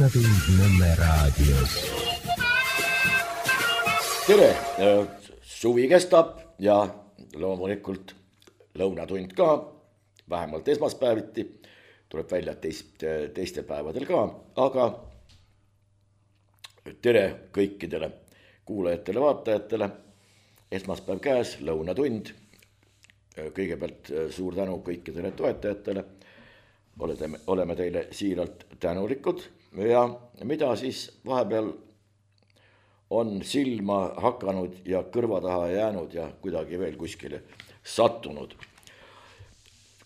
Lõunatund Nõmme raadios. Tere, suvi kestab ja loomulikult lõunatund ka, vähemalt esmaspäeviti, tuleb välja teistel päevadel ka, aga tere kõikidele kuulajatele, vaatajatele, esmaspäev käes, lõunatund. Kõigepealt suur tänu kõikidele toetajatele, oleme teile siiralt tänulikud ja mida siis vahepeal on silma hakanud ja kõrva taha jäänud ja kuidagi veel kuskile sattunud.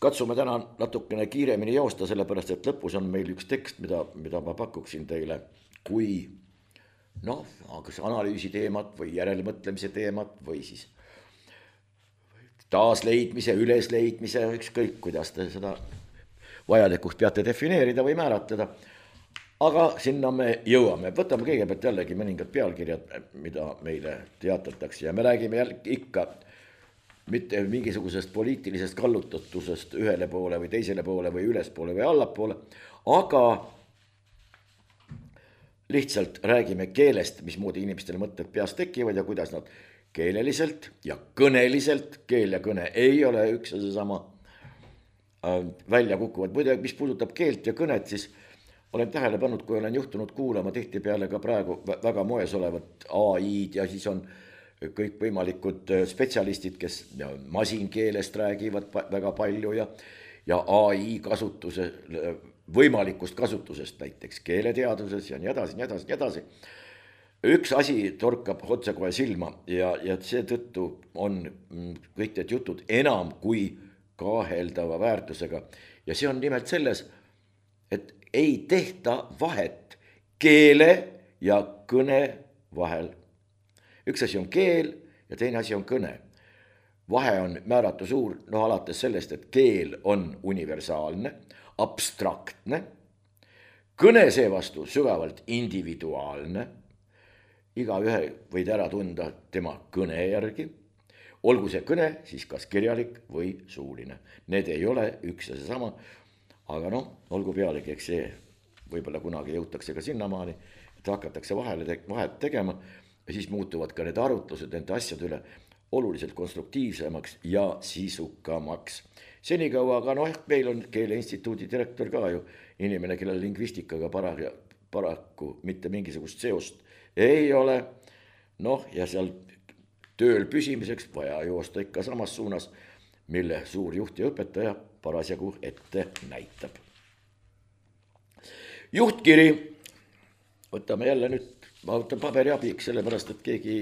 Katsume täna natukene kiiremini joosta, sellepärast et lõpus on meil üks tekst, mida ma pakuksin teile, kui kas analüüsi teemat või järelmõtlemise teemat või siis taasleidmise, ülesleidmise, ükskõik kuidas te seda vajalikuks peate defineerida või määratleda. Aga sinna me jõuame. Võtame kõigepealt jällegi mõningad pealkirjad, mida meile teatatakse ja me räägime ikka mitte mingisugusest poliitilisest kallutatusest ühele poole või teisele poole või ülespoole või allapoole, aga lihtsalt räägime keelest, mismoodi inimestele mõtted peas tekivad ja kuidas nad keeleliselt ja kõneliselt, keel ja kõne ei ole üks ja seesama, välja kukuvad. Muide, mis puudutab keelt ja kõnet, siis olen tähele pannud, kui olen juhtunud kuulama tihtipeale ka praegu väga moes olevat AI-d ja siis on kõik võimalikud spetsialistid, kes masinkeelest räägivad väga palju ja AI kasutuse, võimalikust kasutusest näiteks keeleteaduses ja nii edasi, nii edasi, nii edasi. Üks asi torkab otsekohe silma ja seetõttu on kõik need jutud enam kui kaheldava väärtusega. Ja see on nimelt selles, et ei tehta vahet keele ja kõne vahel. Üks asi on keel ja teine asi on kõne. Vahe on määratu suur, alates sellest, et keel on universaalne, abstraktne, kõne seevastu sügavalt individuaalne, igaühe võid ära tunda tema kõne järgi, olgu see kõne siis kas kirjalik või suuline. Need ei ole üks ja seesama, aga olgu pealegi, eks see võib-olla kunagi jõutakse ka sinnamaani, et hakatakse vahet tegema ja siis muutuvad ka need arutlused nende asjade üle oluliselt konstruktiivsemaks ja sisukamaks. Senikaua, aga meil on Keeleinstituudi direktor ka ju inimene, kellel lingvistikaga paraku mitte mingisugust seost ei ole. Ja seal tööl püsimiseks vaja joosta ikka samas suunas, mille suur juht ja õpetaja parasjagu ette näitab. Juhtkiri, võtame jälle nüüd, ma võtan paberi abiks, sellepärast et keegi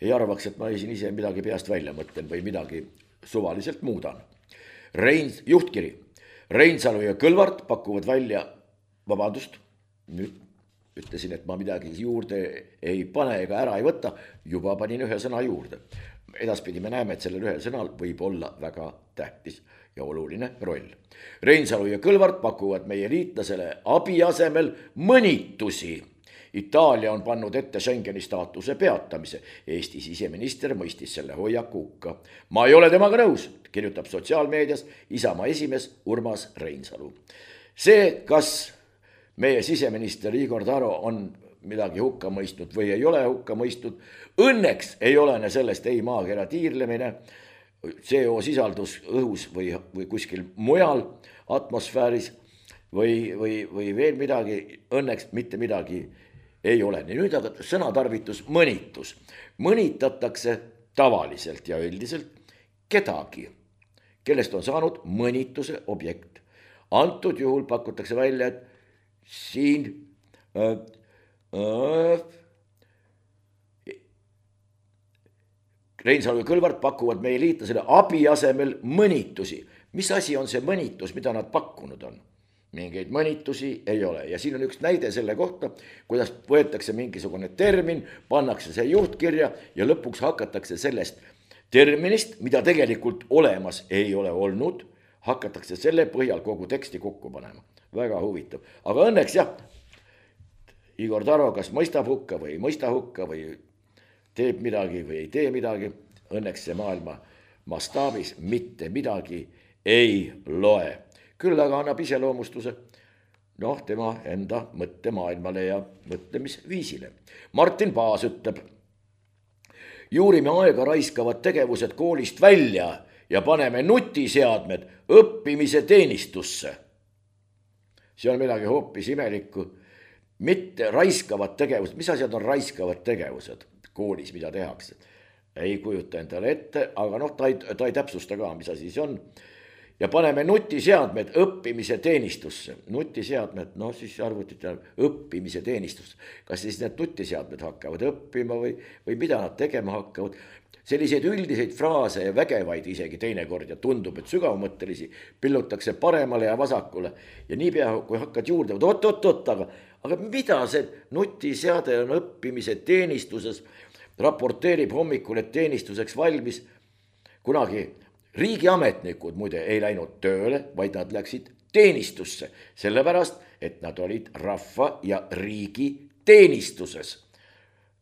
ei arvaks, et ma siin ise midagi peast välja mõtlen või midagi suvaliselt muudan. Juhtkiri, Reinsalu ja Kõlvart pakuvad välja, vabandust, nüüd ütlesin, et ma midagi juurde ei pane ega ära ei võta, juba panin ühe sõna juurde. Edaspidi me näeme, et sellel ühel sõnal võib olla väga tähtis ja oluline roll. Reinsalu ja Kõlvart pakuvad meie liitlasele abi asemel mõnitusi. Itaalia on pannud ette Schengeni staatuse peatamise. Eesti siseminister mõistis selle hoiaku hukka. Ma ei ole temaga nõus, kirjutab sotsiaalmeedias Isamaa esimees Urmas Reinsalu. See, kas meie siseminister Igor Taro on midagi hukka mõistnud või ei ole hukka mõistnud, õnneks ei olene sellest ei maakera tiirlemine, CO sisaldus õhus või kuskil mujal atmosfääris või veel midagi, õnneks mitte midagi ei ole. Nüüd aga sõnatarvitus mõnitus. Mõnitatakse tavaliselt ja üldiselt kedagi, kellest on saanud mõnituse objekt. Antud juhul pakutakse välja, et siin Reinsalu ja Kõlvart pakuvad meie liitlasele abi asemel mõnitusi. Mis asi on see mõnitus, mida nad pakkunud on? Mingeid mõnitusi ei ole. Ja siin on üks näide selle kohta, kuidas võetakse mingisugune termin, pannakse see juhtkirja ja lõpuks hakatakse sellest terminist, mida tegelikult olemas ei ole olnud, hakatakse selle põhjal kogu teksti kokku panema. Väga huvitav. Aga õnneks Igor Taro kas mõistab hukka või ei mõista hukka või teeb midagi või ei tee midagi. Õnneks see maailma mastaabis mitte midagi ei loe. Küll aga annab iseloomustuse noh, tema enda mõttemaailmale ja mõtlemisviisile. Martin Paas ütleb: juurime aega raiskavad tegevused koolist välja ja paneme nutiseadmed õppimise teenistusse. See on midagi hoopis imelikku. Mitte raiskavad tegevused, mis asjad on raiskavad tegevused koolis, mida tehakse? Ei kujuta endale ette, aga noh, ta ei täpsusta ka, mis asi see on. Ja paneme nutiseadmed õppimise teenistusse. Nutiseadmed, noh siis arvutite õppimise teenistusse. Kas siis need nutiseadmed hakkavad õppima või mida nad tegema hakkavad? Selliseid üldiseid fraase ja vägevaid isegi teinekord ja tundub, et sügavmõttelisi pillutakse paremale ja vasakule. Ja niipea, kui hakkad juurde, aga mida see nutiseade on õppimise teenistuses, raporteerib hommikul, et teenistuseks valmis. Kunagi riigiametnikud muide ei läinud tööle, vaid nad läksid teenistusse, sellepärast, et nad olid rahva ja riigi teenistuses.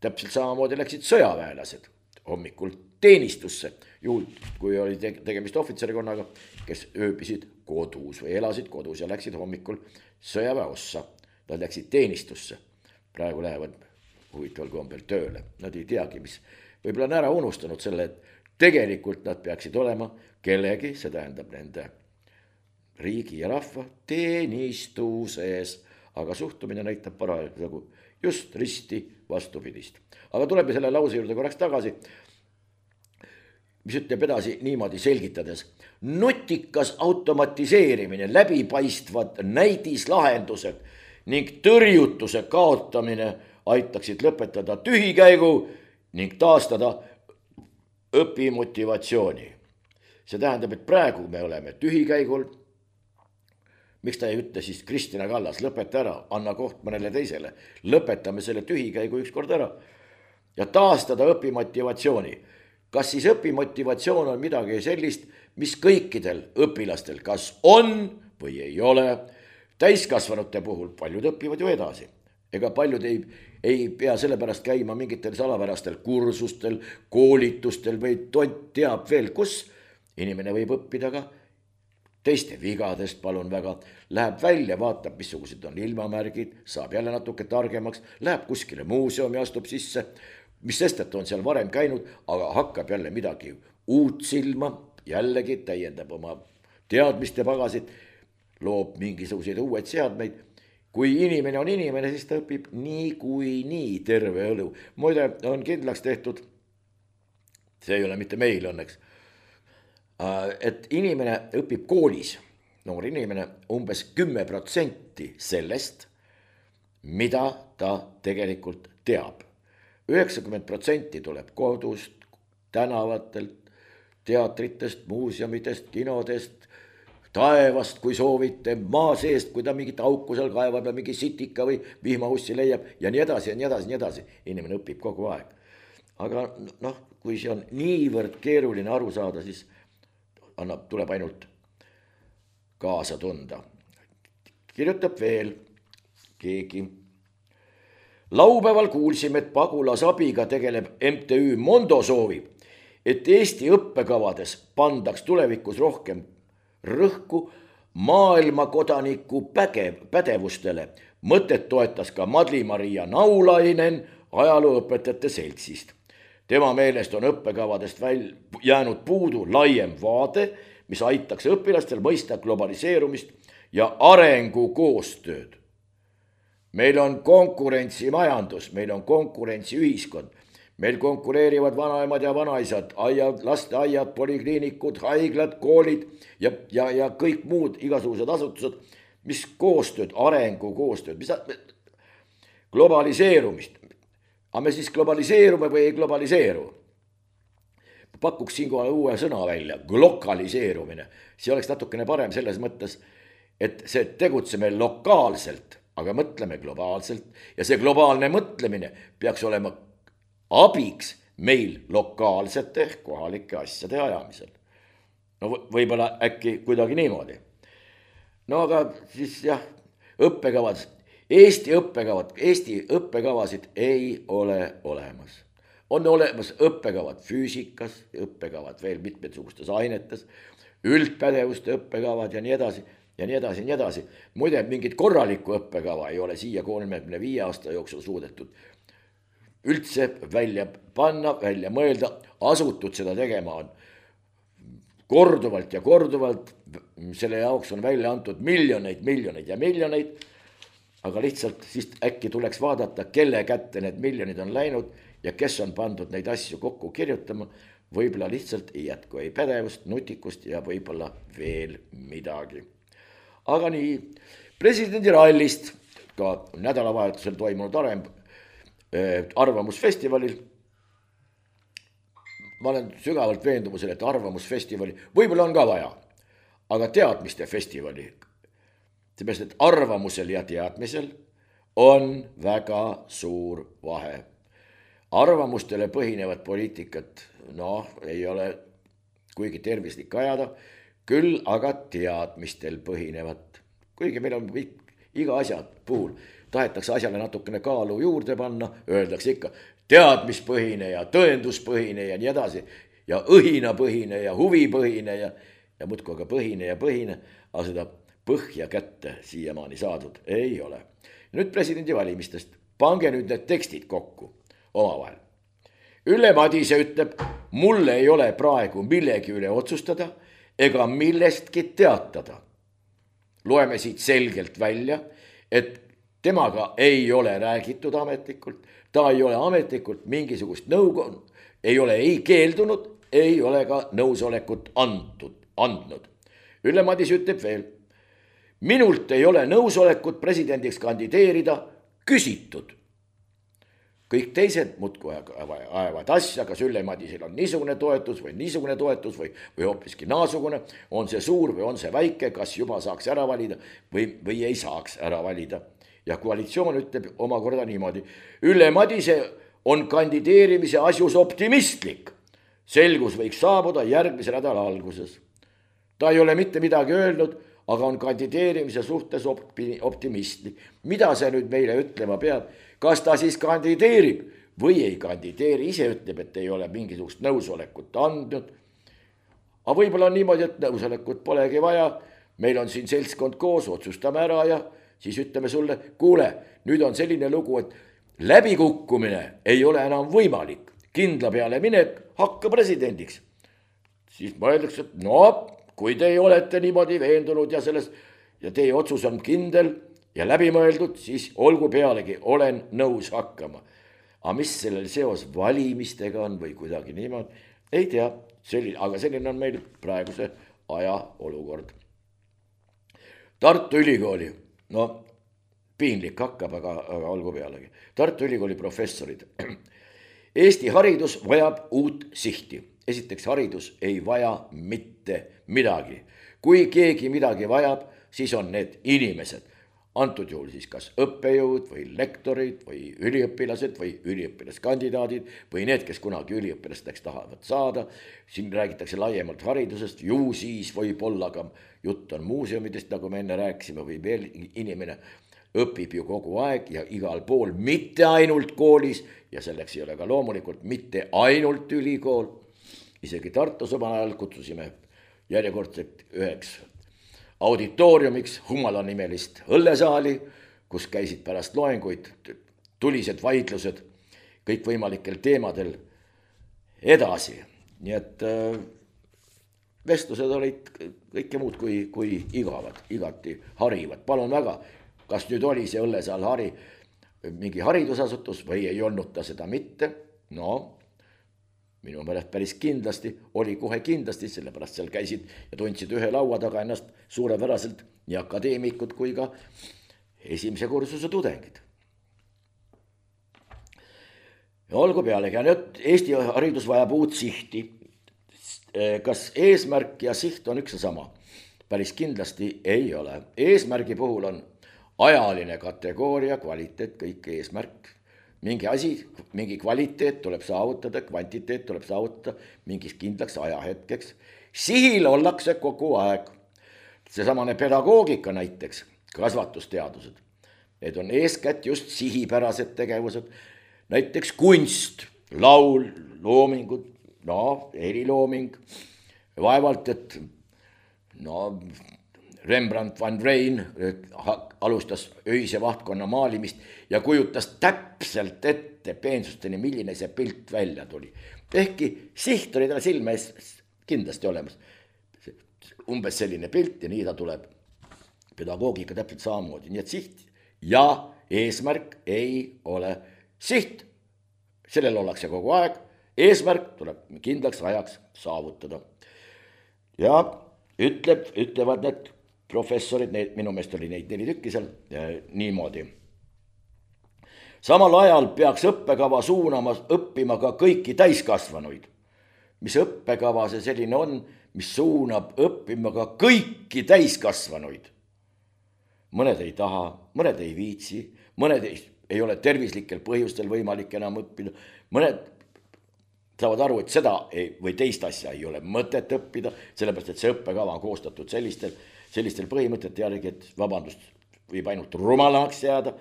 Täpselt samamoodi läksid sõjaväelased hommikul teenistusse, juhul kui oli tegemist ohvitserikonnaga, kes ööbisid kodus või elasid kodus ja läksid hommikul sõjaväeossa. Nad läksid teenistusse, praegu lähevad huvitaval kombel tööle, nad ei teagi, mis, võib-olla on ära unustanud selle, et tegelikult nad peaksid olema kellegi, see tähendab nende riigi ja rahva teenistuses, aga suhtumine näitab paraku just risti vastupidist. Aga tuleme selle lause juurde korraks tagasi, mis ütleb edasi niimoodi selgitades: nutikas automatiseerimine, läbipaistvad näidislahendused ning tõrjutuse kaotamine aitaksid lõpetada tühikäigu ning taastada õpimotivatsiooni. See tähendab, et praegu me oleme tühikäigul. Miks ta ei ütle siis Kristina Kallas, lõpeta ära, anna koht mõnele teisele, lõpetame selle tühikäigu ükskord ära ja taastada õpimotivatsiooni. Kas siis õpimotivatsioon on midagi sellist, mis kõikidel õpilastel kas on või ei ole? Täiskasvanute puhul paljud õpivad ju edasi. Ega paljud ei pea sellepärast käima mingitel salapärastel kursustel, koolitustel või tont teab veel kus. Inimene võib õppida ka teiste vigadest, palun väga, läheb välja, vaatab, missugused on ilmamärgid, saab jälle natuke targemaks, läheb kuskile muuseumi, astub sisse, mis sest, et on seal varem käinud, aga hakkab jälle midagi uut silma, jällegi täiendab oma teadmiste pagasid, loob mingisuguseid uued seadmeid. Kui inimene on inimene, siis ta õpib nii terve elu. Muide, on kindlaks tehtud, see ei ole mitte meil õnneks, et inimene õpib koolis, noor inimene, umbes 10% sellest, mida ta tegelikult teab. 90% tuleb kodust, tänavatelt, teatritest, muuseumidest, kinodest, taevast, kui soovite, maa seest, kui ta mingit auku seal kaevab ja mingi sitika või vihmaussi leiab ja nii edasi ja nii edasi, nii edasi. Inimene õpib kogu aeg. Aga noh, kui see on niivõrd keeruline aru saada, siis tuleb ainult kaasa tunda. Kirjutab veel keegi. Laupäeval kuulsime, et pagulasabiga tegeleb MTÜ Mondo soovib, et Eesti õppekavades pandaks tulevikus rohkem rõhku maailmakodaniku pädevustele. Mõtet toetas ka Madli-Maria Naulainen ajalooõpetajate seltsist. Tema meelest on õppekavadest jäänud puudu laiem vaade, mis aitaks õpilastel mõista globaliseerumist ja arengukoostööd. Meil on konkurentsimajandus, meil on konkurentsiühiskond, meil konkureerivad vanaemad ja vanaisad, lasteaiad, polikliinikud, haiglad, koolid ja kõik muud igasugused asutused, mis koostööd, arengukoostööd, globaliseerumist. Aga me siis globaliseerume või ei globaliseeru? Pakuks siinkohal uue sõna välja, glokaliseerumine. See oleks natukene parem selles mõttes, et see tegutseme lokaalselt, aga mõtleme globaalselt. Ja see globaalne mõtlemine peaks olema abiks meil lokaalsete kohalike asjade ajamisel. No võib-olla äkki kuidagi niimoodi. No aga siis jah, õppekavad, Eesti õppekavasid ei ole olemas. On olemas õppekavad füüsikas, õppekavad veel mitmetsugustes ainetes, üldpädevuste õppekavad ja nii edasi. ja nii edasi, nii edasi. Muide, mingit korralikku õppekava ei ole siia 35 aasta jooksul suudetud üldse välja panna, välja mõelda, asutud seda tegema on korduvalt ja korduvalt, selle jaoks on välja antud miljoneid ja miljoneid, aga lihtsalt siis äkki tuleks vaadata, kelle kätte need miljonid on läinud ja kes on pandud neid asju kokku kirjutama, võib-olla lihtsalt ei jätku ei pädevust, nutikust ja võib-olla veel midagi. Aga nii, presidendi rallist, ka nädalavahetusel toimunud arvamusfestivalil, ma olen sügavalt veendumusel, et arvamusfestivali võib-olla on ka vaja, aga teadmiste festivali, seepärast, et arvamusel ja teadmisel on väga suur vahe. Arvamustele põhinevat poliitikat, ei ole kuigi tervislik ajada, küll aga teadmistel põhinevat. Kuigi meil on iga asja puhul, tahetakse asjale natukene kaalu juurde panna, öeldakse ikka teadmispõhine ja tõenduspõhine ja nii edasi, ja õhinapõhine ja huvipõhine ja muudkui aga põhine ja põhine, aga seda põhja kätte siiamaani saadud ei ole. Nüüd presidendi valimistest, pange nüüd need tekstid kokku omavahel. Ülle Madise ütleb, mul ei ole praegu millegi üle otsustada ega millestki teatada. Loeme siit selgelt välja, et temaga ei ole räägitud ametlikult, ta ei ole ametlikult mingisugust nõu, ei ole ei keeldunud, ei ole ka nõusolekut andnud. Ülle Madise ütleb veel, minult ei ole nõusolekut presidendiks kandideerida küsitud. Kõik teised muudkui ajavad asja, kas Ülle Madisel on niisugune toetus või hoopiski naasugune, on see suur või on see väike, kas juba saaks ära valida või ei saaks ära valida. Ja koalitsioon ütleb omakorda niimoodi, Ülle Madise on kandideerimise asjus optimistlik. Selgus võiks saabuda järgmise nädala alguses. Ta ei ole mitte midagi öelnud, aga on kandideerimise suhtes optimistlik. Mida see nüüd meile ütlema peab? Kas ta siis kandideerib või ei kandideeri? Ise ütleb, et ei ole mingisugust nõusolekut andnud. Aga võib-olla on niimoodi, et nõusolekut polegi vaja. Meil on siin seltskond koos, otsustame ära ja siis ütleme sulle, kuule, nüüd on selline lugu, et läbikukkumine ei ole enam võimalik. Kindla peale minek, hakka presidendiks. Siis mõeldakse, et kui te olete niimoodi veendunud ja teie otsus on kindel ja läbimõeldud, siis olgu pealegi, olen nõus hakkama. Aga mis sellel seos valimistega on või kuidagi niimoodi, ei tea, aga selline on meil praeguse aja olukord. Tartu Ülikooli, piinlik hakkab, aga olgu pealegi. Tartu Ülikooli professorid. Eesti haridus vajab uut sihti. Esiteks, haridus ei vaja mitte midagi. Kui keegi midagi vajab, siis on need inimesed. Antud juhul siis kas õppejõud või lektorid või üliõpilased või üliõpilaskandidaadid või need, kes kunagi üliõpilasteks tahavad saada. Siin räägitakse laiemalt haridusest, ju siis võib-olla ka jutt on muuseumidest, nagu me enne rääkisime, või veel inimene õpib ju kogu aeg ja igal pool, mitte ainult koolis ja selleks ei ole ka loomulikult mitte ainult ülikool. Isegi Tartus omal ajal kutsusime järjekordselt üheks auditooriumiks Humala-nimelist õllesaali, kus käisid pärast loenguid tulised vaidlused kõikvõimalikel teemadel edasi. Nii et vestlused olid kõike muud kui igavad, igati harivad. Palun väga, kas nüüd oli see õllesaal mingi haridusasutus või ei olnud ta seda mitte? Minu meelest päris kindlasti, oli kohe kindlasti, sellepärast seal käisid ja tundsid ühe laua taga ennast suurepäraselt nii akadeemikud kui ka esimese kursuse tudengid. Ja olgu pealegi, Eesti haridus vajab uut sihti. Kas eesmärk ja siht on üks ja sama? Päris kindlasti ei ole. Eesmärgi puhul on ajaline kategooria, kvaliteet, kõik eesmärk. Mingi asi, mingi kvaliteet tuleb saavutada, kvantiteet tuleb saavutada mingis kindlaks ajahetkeks. Sihil ollakse kogu aeg. Seesamane pedagoogika näiteks, kasvatusteadused. Need on eeskätt just sihipärased tegevused. Näiteks kunst, laul, loomingud, helilooming. Vaevalt, et Rembrandt van Rijn alustas öise vahtkonna maalimist ja kujutas täpselt ette peensusteni, milline see pilt välja tuli. Ehkki siht oli tal silme ees kindlasti olemas. Umbes selline pilt ja nii ta tuleb. Pedagoogika täpselt samamoodi. Nii et siht ja eesmärk ei ole siht. Sellel ollakse kogu aeg. Eesmärk tuleb kindlaks ajaks saavutada. Ja ütlevad need professorid, minu meelest oli neid 4 tükki seal, niimoodi. Samal ajal peaks õppekava suunama õppima ka kõiki täiskasvanuid. Mis õppekava see selline on, mis suunab õppima ka kõiki täiskasvanuid. Mõned ei taha, mõned ei viitsi, mõned ei ole tervislikel põhjustel võimalik enam õppida, mõned saavad aru, et seda või teist asja ei ole mõtet õppida, sellepärast, et see õppekava on koostatud sellistel põhimõtete järgi, et vabandust, võib ainult rumalamaks jääda.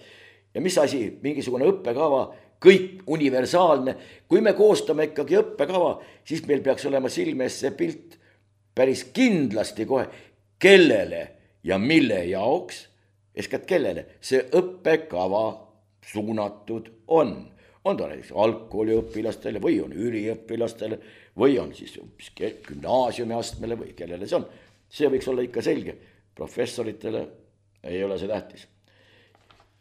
Ja mis asi, mingisugune õppekava, kõik universaalne. Kui me koostame ikkagi õppekava, siis meil peaks olema silmes see pilt päris kindlasti kohe, kellele ja mille jaoks, eeskätt kellele see õppekava suunatud on. On ta näiteks algkooliõpilastele või on üliõpilastele või on siis gümnaasiumi astmele või kellele see on. See võiks olla ikka selge. Professoritele ei ole see tähtis.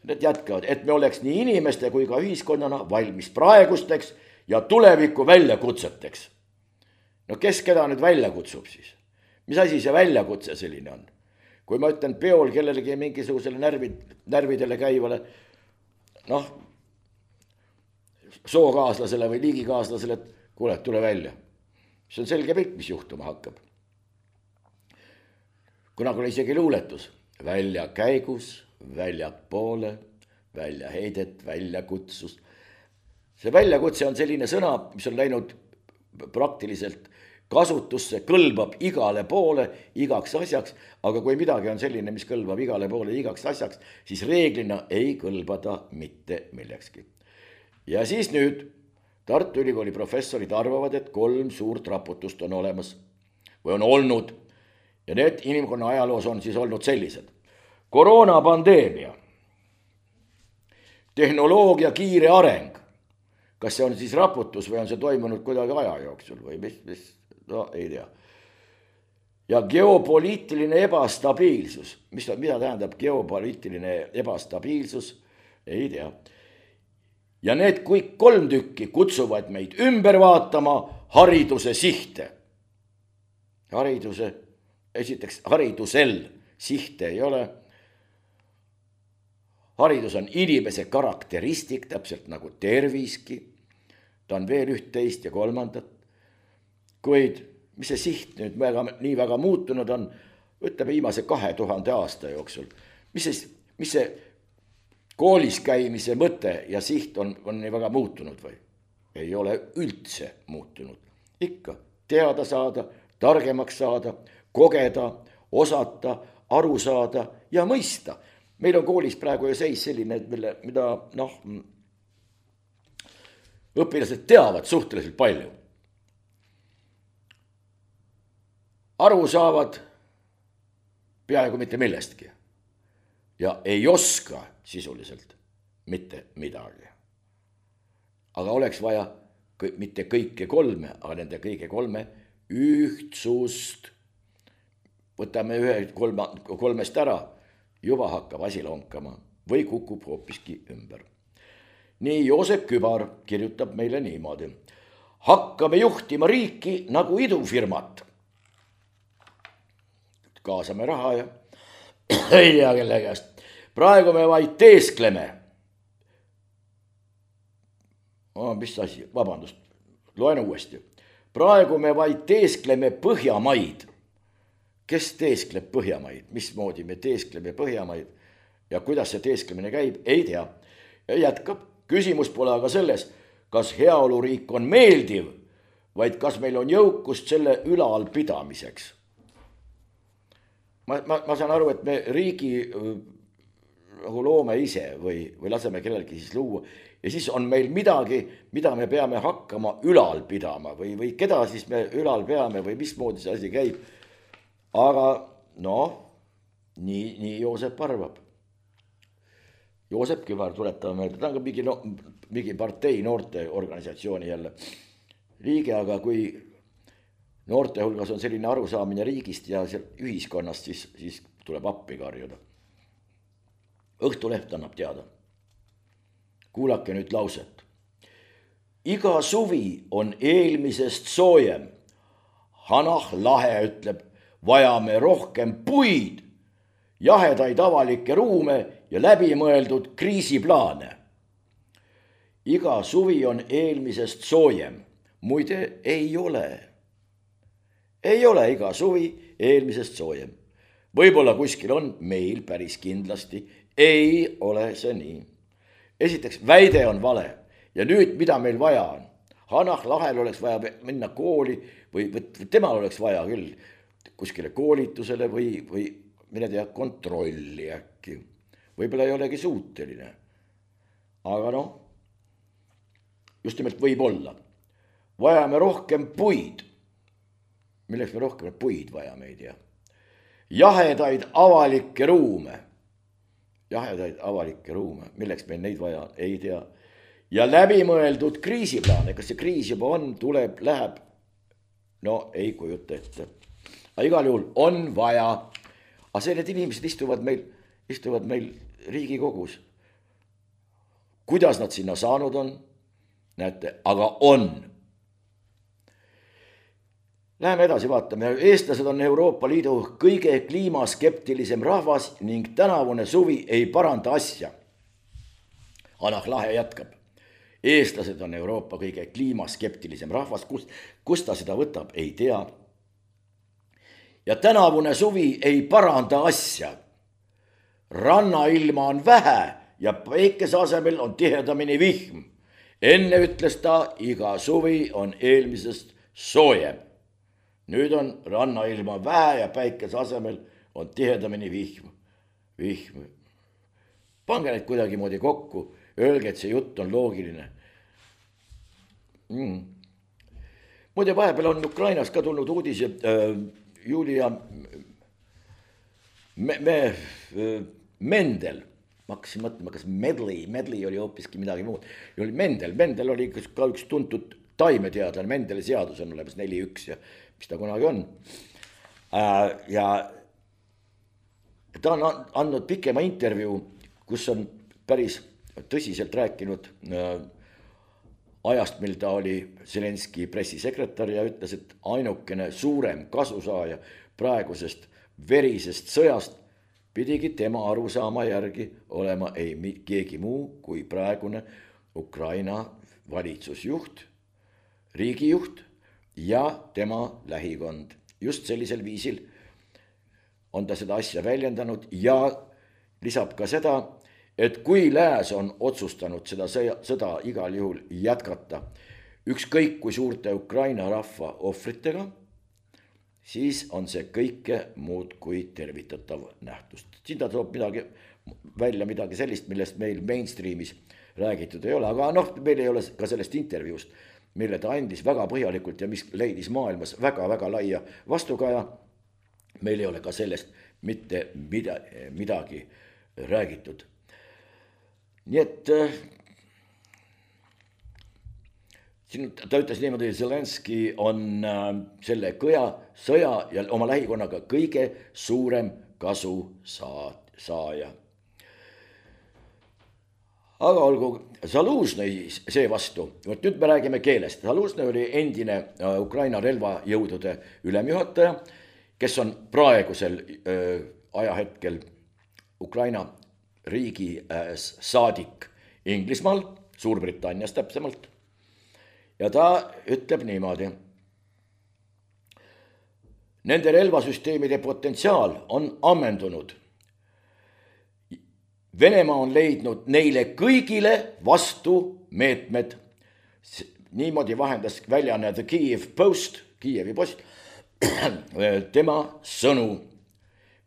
Need jätkavad, et me oleks nii inimeste kui ka ühiskonnana valmis praegusteks ja tuleviku väljakutseteks. No kes keda nüüd välja kutsub siis? Mis asi see väljakutse selline on? Kui ma ütlen peol kellelegi mingisugusele närvidele käivale, sookaaslasele või liigikaaslasele, et kuule, tule välja. See on selge pilt, mis juhtuma hakkab. Kunagi oli isegi luuletus. Välja käigus, väljapoole, välja heidet, väljakutsus. See väljakutse on selline sõna, mis on läinud praktiliselt kasutusse, kõlbab igale poole, igaks asjaks, aga kui midagi on selline, mis kõlbab igale poole, igaks asjaks, siis reeglina ei kõlbada mitte millekski. Ja siis nüüd Tartu Ülikooli professorid arvavad, et 3 suurt raputust on olemas või on olnud. Ja need inimkonna ajaloos on siis olnud sellised. Koroonapandeemia, tehnoloogia kiire areng. Kas see on siis raputus või on see toimunud kuidagi aja jooksul või mis? No ei tea. Ja geopoliitiline ebastabiilsus. Mida tähendab geopoliitiline ebastabiilsus? Ei tea. Ja need kõik 3 tükki kutsuvad meid ümber vaatama hariduse sihte. Esiteks haridusel sihte ei ole. Haridus on inimese karakteristik, täpselt nagu terviski. Ta on veel 11 ja 3. Kuid mis see siht nüüd nii väga muutunud on, ütleme viimase 2000 aasta jooksul. Mis see koolis käimise mõte ja siht on nii väga muutunud või? Ei ole üldse muutunud. Ikka teada saada, targemaks saada, kogeda, osata, aru saada ja mõista. Meil on koolis praegu ju seis selline, mida õpilased teavad suhteliselt palju. Aru saavad peaaegu mitte millestki ja ei oska sisuliselt mitte midagi. Aga oleks vaja mitte kõike 3, aga nende kõige 3 ühtsust. Võtame 3 ära, juba hakkab asi lonkama või kukub hoopiski ümber. Nii Joosep Kübar kirjutab meile niimoodi. Hakkame juhtima riiki nagu idufirmat. Kaasame raha ja ei tea kelle käest. Praegu me vaid teeskleme. Mis asi? Vabandust, loen uuesti. Praegu me vaid teeskleme Põhjamaid. Kes teeskleb Põhjamaid? Mismoodi me teeskleme Põhjamaid? Ja kuidas see teesklemine käib? Ei tea. Ja jätkab. Küsimus pole aga selles, kas heaoluriik on meeldiv, vaid kas meil on jõukust selle ülal pidamiseks. Ma saan aru, et me riigi loome ise või laseme kellelgi siis luua ja siis on meil midagi, mida me peame hakkama ülal pidama või keda siis me ülal peame või mismoodi see asi käib. Aga nii Joosep arvab. Joosep Kübar, tuletame meelde, ta on ka mingi partei noorteorganisatsiooni jälle liige, aga kui noorte hulgas on selline arusaamine riigist ja ühiskonnast, siis tuleb appi karjuda. Õhtuleht annab teada. Kuulake nüüd lauset. Iga suvi on eelmisest soojem. Hanah Lahe ütleb, vajame rohkem puid, jahedaid avalikke ruume ja läbimõeldud kriisiplaane. Iga suvi on eelmisest soojem. Muide, ei ole. Ei ole iga suvi eelmisest soojem. Võib-olla kuskil on, meil päris kindlasti ei ole see nii. Esiteks, väide on vale ja nüüd, mida meil vaja on? Hanah Lahel oleks vaja minna kooli või temal oleks vaja küll kuskile koolitusele või mine tea, kontrolli äkki. Võib-olla ei olegi suuteline. Aga noh, just nimelt võib olla. Vajame rohkem puid. Milleks me rohkem puid vajame, ei tea. Jahedaid avalikke ruume. Jahedaid avalikke ruume. Milleks meil neid vaja, ei tea. Ja läbimõeldud kriisiplaane. Kas see kriis juba on, tuleb, läheb? No ei kujuta ette. Aga igal juhul on vaja. Aga need inimesed istuvad meil Riigikogus. Kuidas nad sinna saanud on? Näete, aga on. Läheme edasi, vaatame. Eestlased on Euroopa Liidu kõige kliimaskeptilisem rahvas ning tänavune suvi ei paranda asja. Hanah Lahe jätkab. Eestlased on Euroopa kõige kliimaskeptilisem rahvas. Kust ta seda võtab, ei tea. Ja tänavune suvi ei paranda asja. Rannailma on vähe ja päikese asemel on tihedamini vihm. Enne ütles ta, iga suvi on eelmisest soojem. Nüüd on rannailma vähe ja päikese asemel on tihedamini vihm. Pange need kuidagi moodi kokku, öelge, et see jutt on loogiline. Muide, vahepeal on Ukrainas ka tulnud uudis, Julia Mendel, ma hakkasin mõtlema, kas Medley oli hoopiski midagi muud. Mendel oli ka üks tuntud taimeteadlane, Mendeli seadus on olemas 4.1 ja mis ta kunagi on. Ja ta on andnud pikema intervjuu, kus on päris tõsiselt rääkinud ajast, mil ta oli Zelenski pressisekretär ja ütles, et ainukene suurem kasusaaja praegusest verisest sõjast pidigi tema arusaama järgi olema ei keegi muu kui praegune Ukraina valitsusjuht, riigijuht ja tema lähikond. Just sellisel viisil on ta seda asja väljendanud ja lisab ka seda, et kui lääs on otsustanud seda sõda igal juhul jätkata, ükskõik kui suurte Ukraina rahva ohvritega, siis on see kõike muud kui tervitatav nähtust. Siin ta toob midagi sellist, millest meil mainstreamis räägitud ei ole, aga meil ei ole ka sellest intervjuust, mille ta andis väga põhjalikult ja mis leidis maailmas väga laia vastukaja. Meil ei ole ka sellest mitte midagi räägitud. Nii et siin ta ütles niimoodi, Zelenski on selle sõja ja oma lähikonnaga kõige suurem kasu saaja. Aga olgu, Zaluznõi seevastu, nüüd me räägime keelest. Zaluznõi oli endine Ukraina relvajõudude ülemjuhataja, kes on praegusel ajahetkel Ukraina riigi saadik Inglismaal, Suurbritannias täpsemalt. Ja ta ütleb niimoodi. Nende relvasüsteemide potentsiaal on ammendunud. Venemaa on leidnud neile kõigile vastu meetmed. Niimoodi vahendas väljaanne The Kyiv Post, Kiievi post, tema sõnu.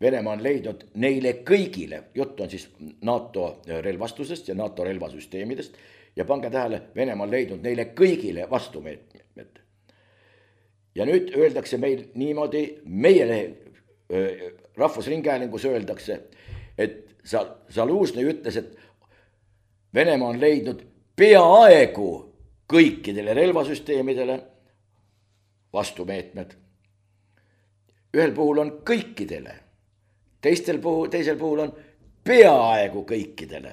Venemaa on leidnud neile kõigile, jutt on siis NATO relvastusest ja NATO relvasüsteemidest, ja pange tähele, Venemaa on leidnud neile kõigile vastumeetmed. Ja nüüd öeldakse meil niimoodi meie Rahvusringhäälingus öeldakse, et Zaluznõi ütles, et Venemaa on leidnud peaaegu kõikidele relvasüsteemidele vastumeetmed. Ühel puhul on kõikidele, teisel puhul on peaaegu kõikidele.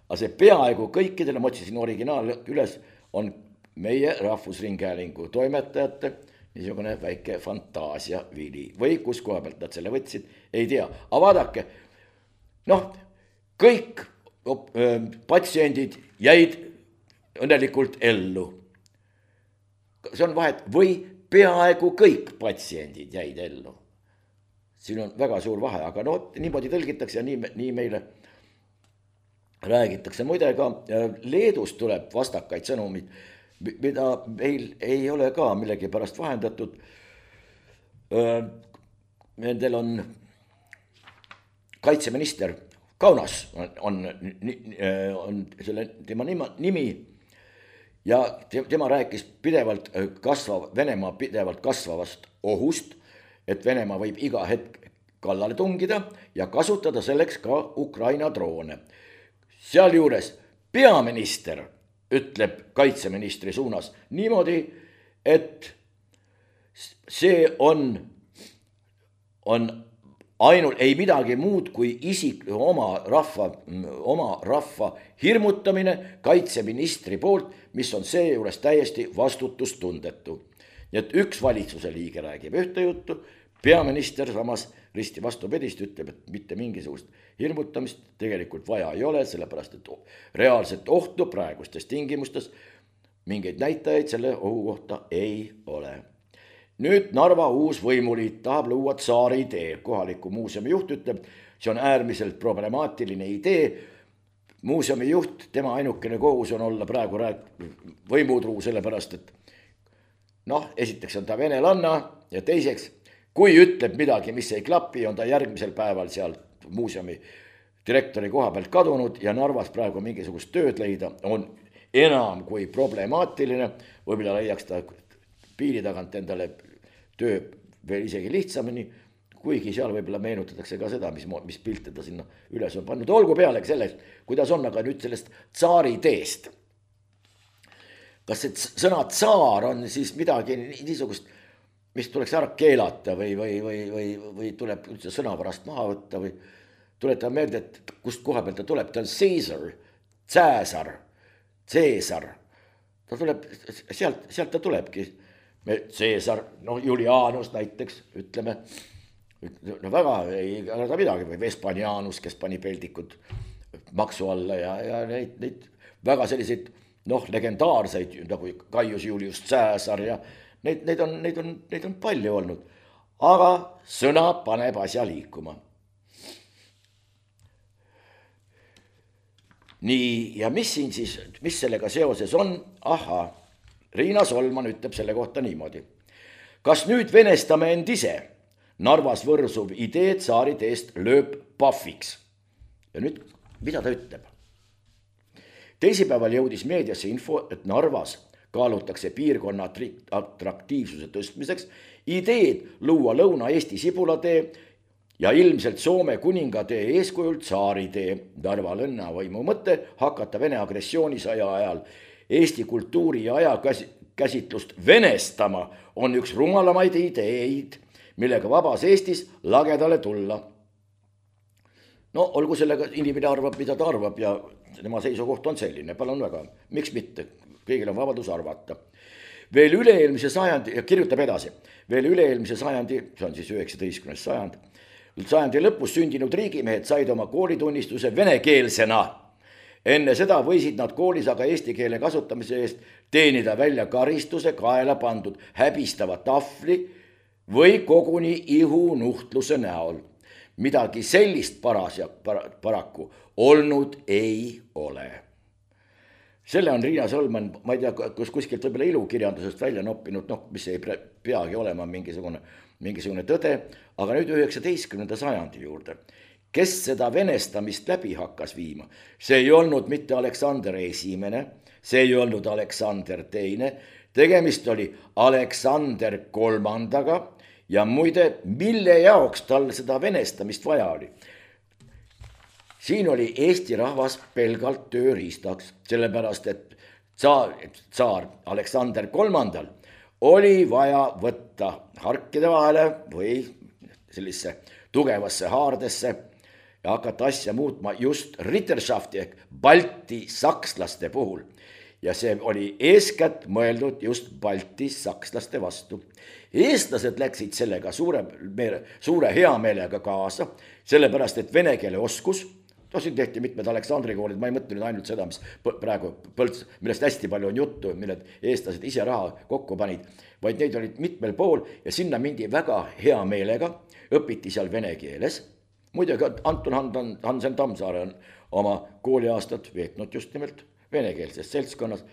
Aga see peaaegu kõikidele, ma otsisin originaal üles, on meie Rahvusringhäälingu toimetajate niisugune väike fantaasiavili. Või kus koha pealt nad selle võtsid, ei tea. Aga vaadake, kõik patsiendid jäid õnnelikult ellu. See on vahet, või peaaegu kõik patsiendid jäid ellu. Siin on väga suur vahe, aga niimoodi tõlgitakse ja nii meile räägitakse. Muide ka Leedust tuleb vastakaid sõnumid, mida meil ei ole ka millegi pärast vahendatud. Nendel on kaitseminister Kaunas on selle tema nimi ja tema rääkis Venemaa pidevalt kasvavast ohust, et Venemaa võib iga hetk kallale tungida ja kasutada selleks ka Ukraina droone. Sealjuures peaminister ütleb kaitseministri suunas niimoodi, et see on ainult ei midagi muud kui oma rahva hirmutamine kaitseministri poolt, mis on seejuures täiesti vastutustundetu. Nii et üks valitsuse liige räägib ühte juttu, peaminister samas risti vastupidist ütleb, et mitte mingisugust hirmutamist tegelikult vaja ei ole, sellepärast et reaalset ohtu praegustes tingimustes mingeid näitajaid selle ohu kohta ei ole. Nüüd Narva uus võimuliit tahab luua Tsaari idee. Kohaliku muuseumi juht ütleb, see on äärmiselt problemaatiline idee. Muuseumi juht, tema ainukene kohus on olla praegu võimutruu, sellepärast et esiteks on ta venelanna ja teiseks, kui ütleb midagi, mis ei klapi, on ta järgmisel päeval seal muuseumi direktori koha pealt kadunud ja Narvas praegu mingisugust tööd leida on enam kui problemaatiline. Võib-olla leiaks ta piiri tagant endale töö veel isegi lihtsamini, kuigi seal võib-olla meenutatakse ka seda, mis pilte ta sinna üles on pannud. Olgu pealegi sellest, kuidas on, aga nüüd sellest Tsaari teest. Kas see sõna tsaar on siis midagi niisugust, mis tuleks ära keelata või tuleb üldse sõna pärast maha võtta või tuletan meelde, et kust koha pealt ta tuleb, ta on Caesar. Ta tuleb, sealt ta tulebki. Caesar, Julianus näiteks, ütleme, väga ei arvata midagi, või Vespanianus, kes pani peldikud maksu alla ja neid väga selliseid, legendaarseid, nagu Gaius Julius Caesar ja neid on palju olnud, aga sõna paneb asja liikuma. Nii, ja mis siin siis, mis sellega seoses on? Riina Solman ütleb selle kohta niimoodi. Kas nüüd venestame end ise? Narvas võrsuv idee Tsaari teest lööb pahviks. Ja nüüd, mida ta ütleb? Teisipäeval jõudis meediasse info, et Narvas kaalutakse piirkonna atraktiivsuse tõstmiseks ideed luua Lõuna-Eesti Sibulatee ja ilmselt Soome kuningatee eeskujul Tsaari tee. Narva linnavõimu mõte hakata Vene agressioonisõja ajal Eesti kultuuri ja ajakäsitlust venestama on üks rumalamaid ideid, millega vabas Eestis lagedale tulla. Olgu sellega inimene arvab, mida ta arvab ja tema seisukoht on selline, palun väga, miks mitte, kõigil on vabadus arvata. Veel üle-eelmise sajandi, ja kirjutab edasi, veel üle-eelmise sajandi, see on siis 19. sajandi lõpus sündinud riigimehed said oma koolitunnistuse venekeelsena. Enne seda võisid nad koolis aga eesti keele kasutamise eest teenida välja karistuse kaela pandud häbistava tahvli või koguni ihunuhtluse näol. Midagi sellist paraku olnud ei ole. Selle on Riina Solman, ma ei tea, kuskilt võib-olla ilukirjandusest välja noppinud, mis ei peagi olema mingisugune tõde, aga nüüd 19. sajandi juurde. Kes seda venestamist läbi hakkas viima? See ei olnud mitte Aleksander esimene, see ei olnud Aleksander teine, tegemist oli Aleksander kolmandaga ja muide, mille jaoks tal seda venestamist vaja oli? Siin oli Eesti rahvas pelgalt tööriistaks, sellepärast et tsaar Aleksander III oli vaja võtta harkide vahele või sellisse tugevasse haardesse ja hakata asja muutma just Ritterschafti ehk Balti sakslaste puhul. Ja see oli eeskätt mõeldud just Balti sakslaste vastu. Eestlased läksid sellega suure heameelega kaasa, sellepärast et vene keele oskus, siin tehti mitmed Aleksandri koolid, ma ei mõtle nüüd ainult seda, mis praegu Põlts, millest hästi palju on juttu, milled eestlased ise raha kokku panid, vaid neid olid mitmel pool ja sinna mindi väga hea meelega, õpiti seal vene keeles. Muidugi Anton Hansen Tammsaare on oma kooliaastat veetnud just nimelt venekeelses seltskonnas,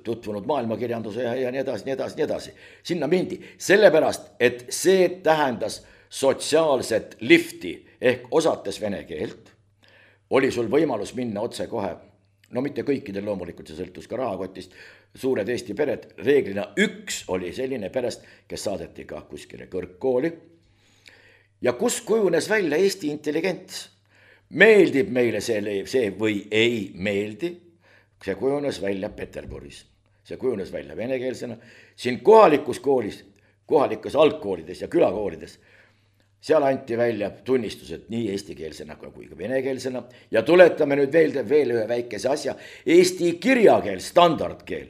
tutvunud maailmakirjanduse ja nii edasi, nii edasi, nii edasi. Sinna mindi, sellepärast, et see tähendas sotsiaalset lifti ehk osates vene keelt, oli sul võimalus minna otse kohe, no mitte kõikidel loomulikult, see sõltus ka rahakotist, suured Eesti pered, reeglina üks oli selline perest, kes saadeti ka kuskile kõrgkooli ja kus kujunes välja Eesti intelligents. Meeldib meile see või ei meeldi, see kujunes välja Peterburis, see kujunes välja venekeelsena, siin kohalikus koolis, kohalikes algkoolides ja külakoolides, seal anti välja tunnistused nii eestikeelsena kui ka venekeelsena ja tuletame nüüd veel ühe väikese asja, eesti kirjakeel, standardkeel,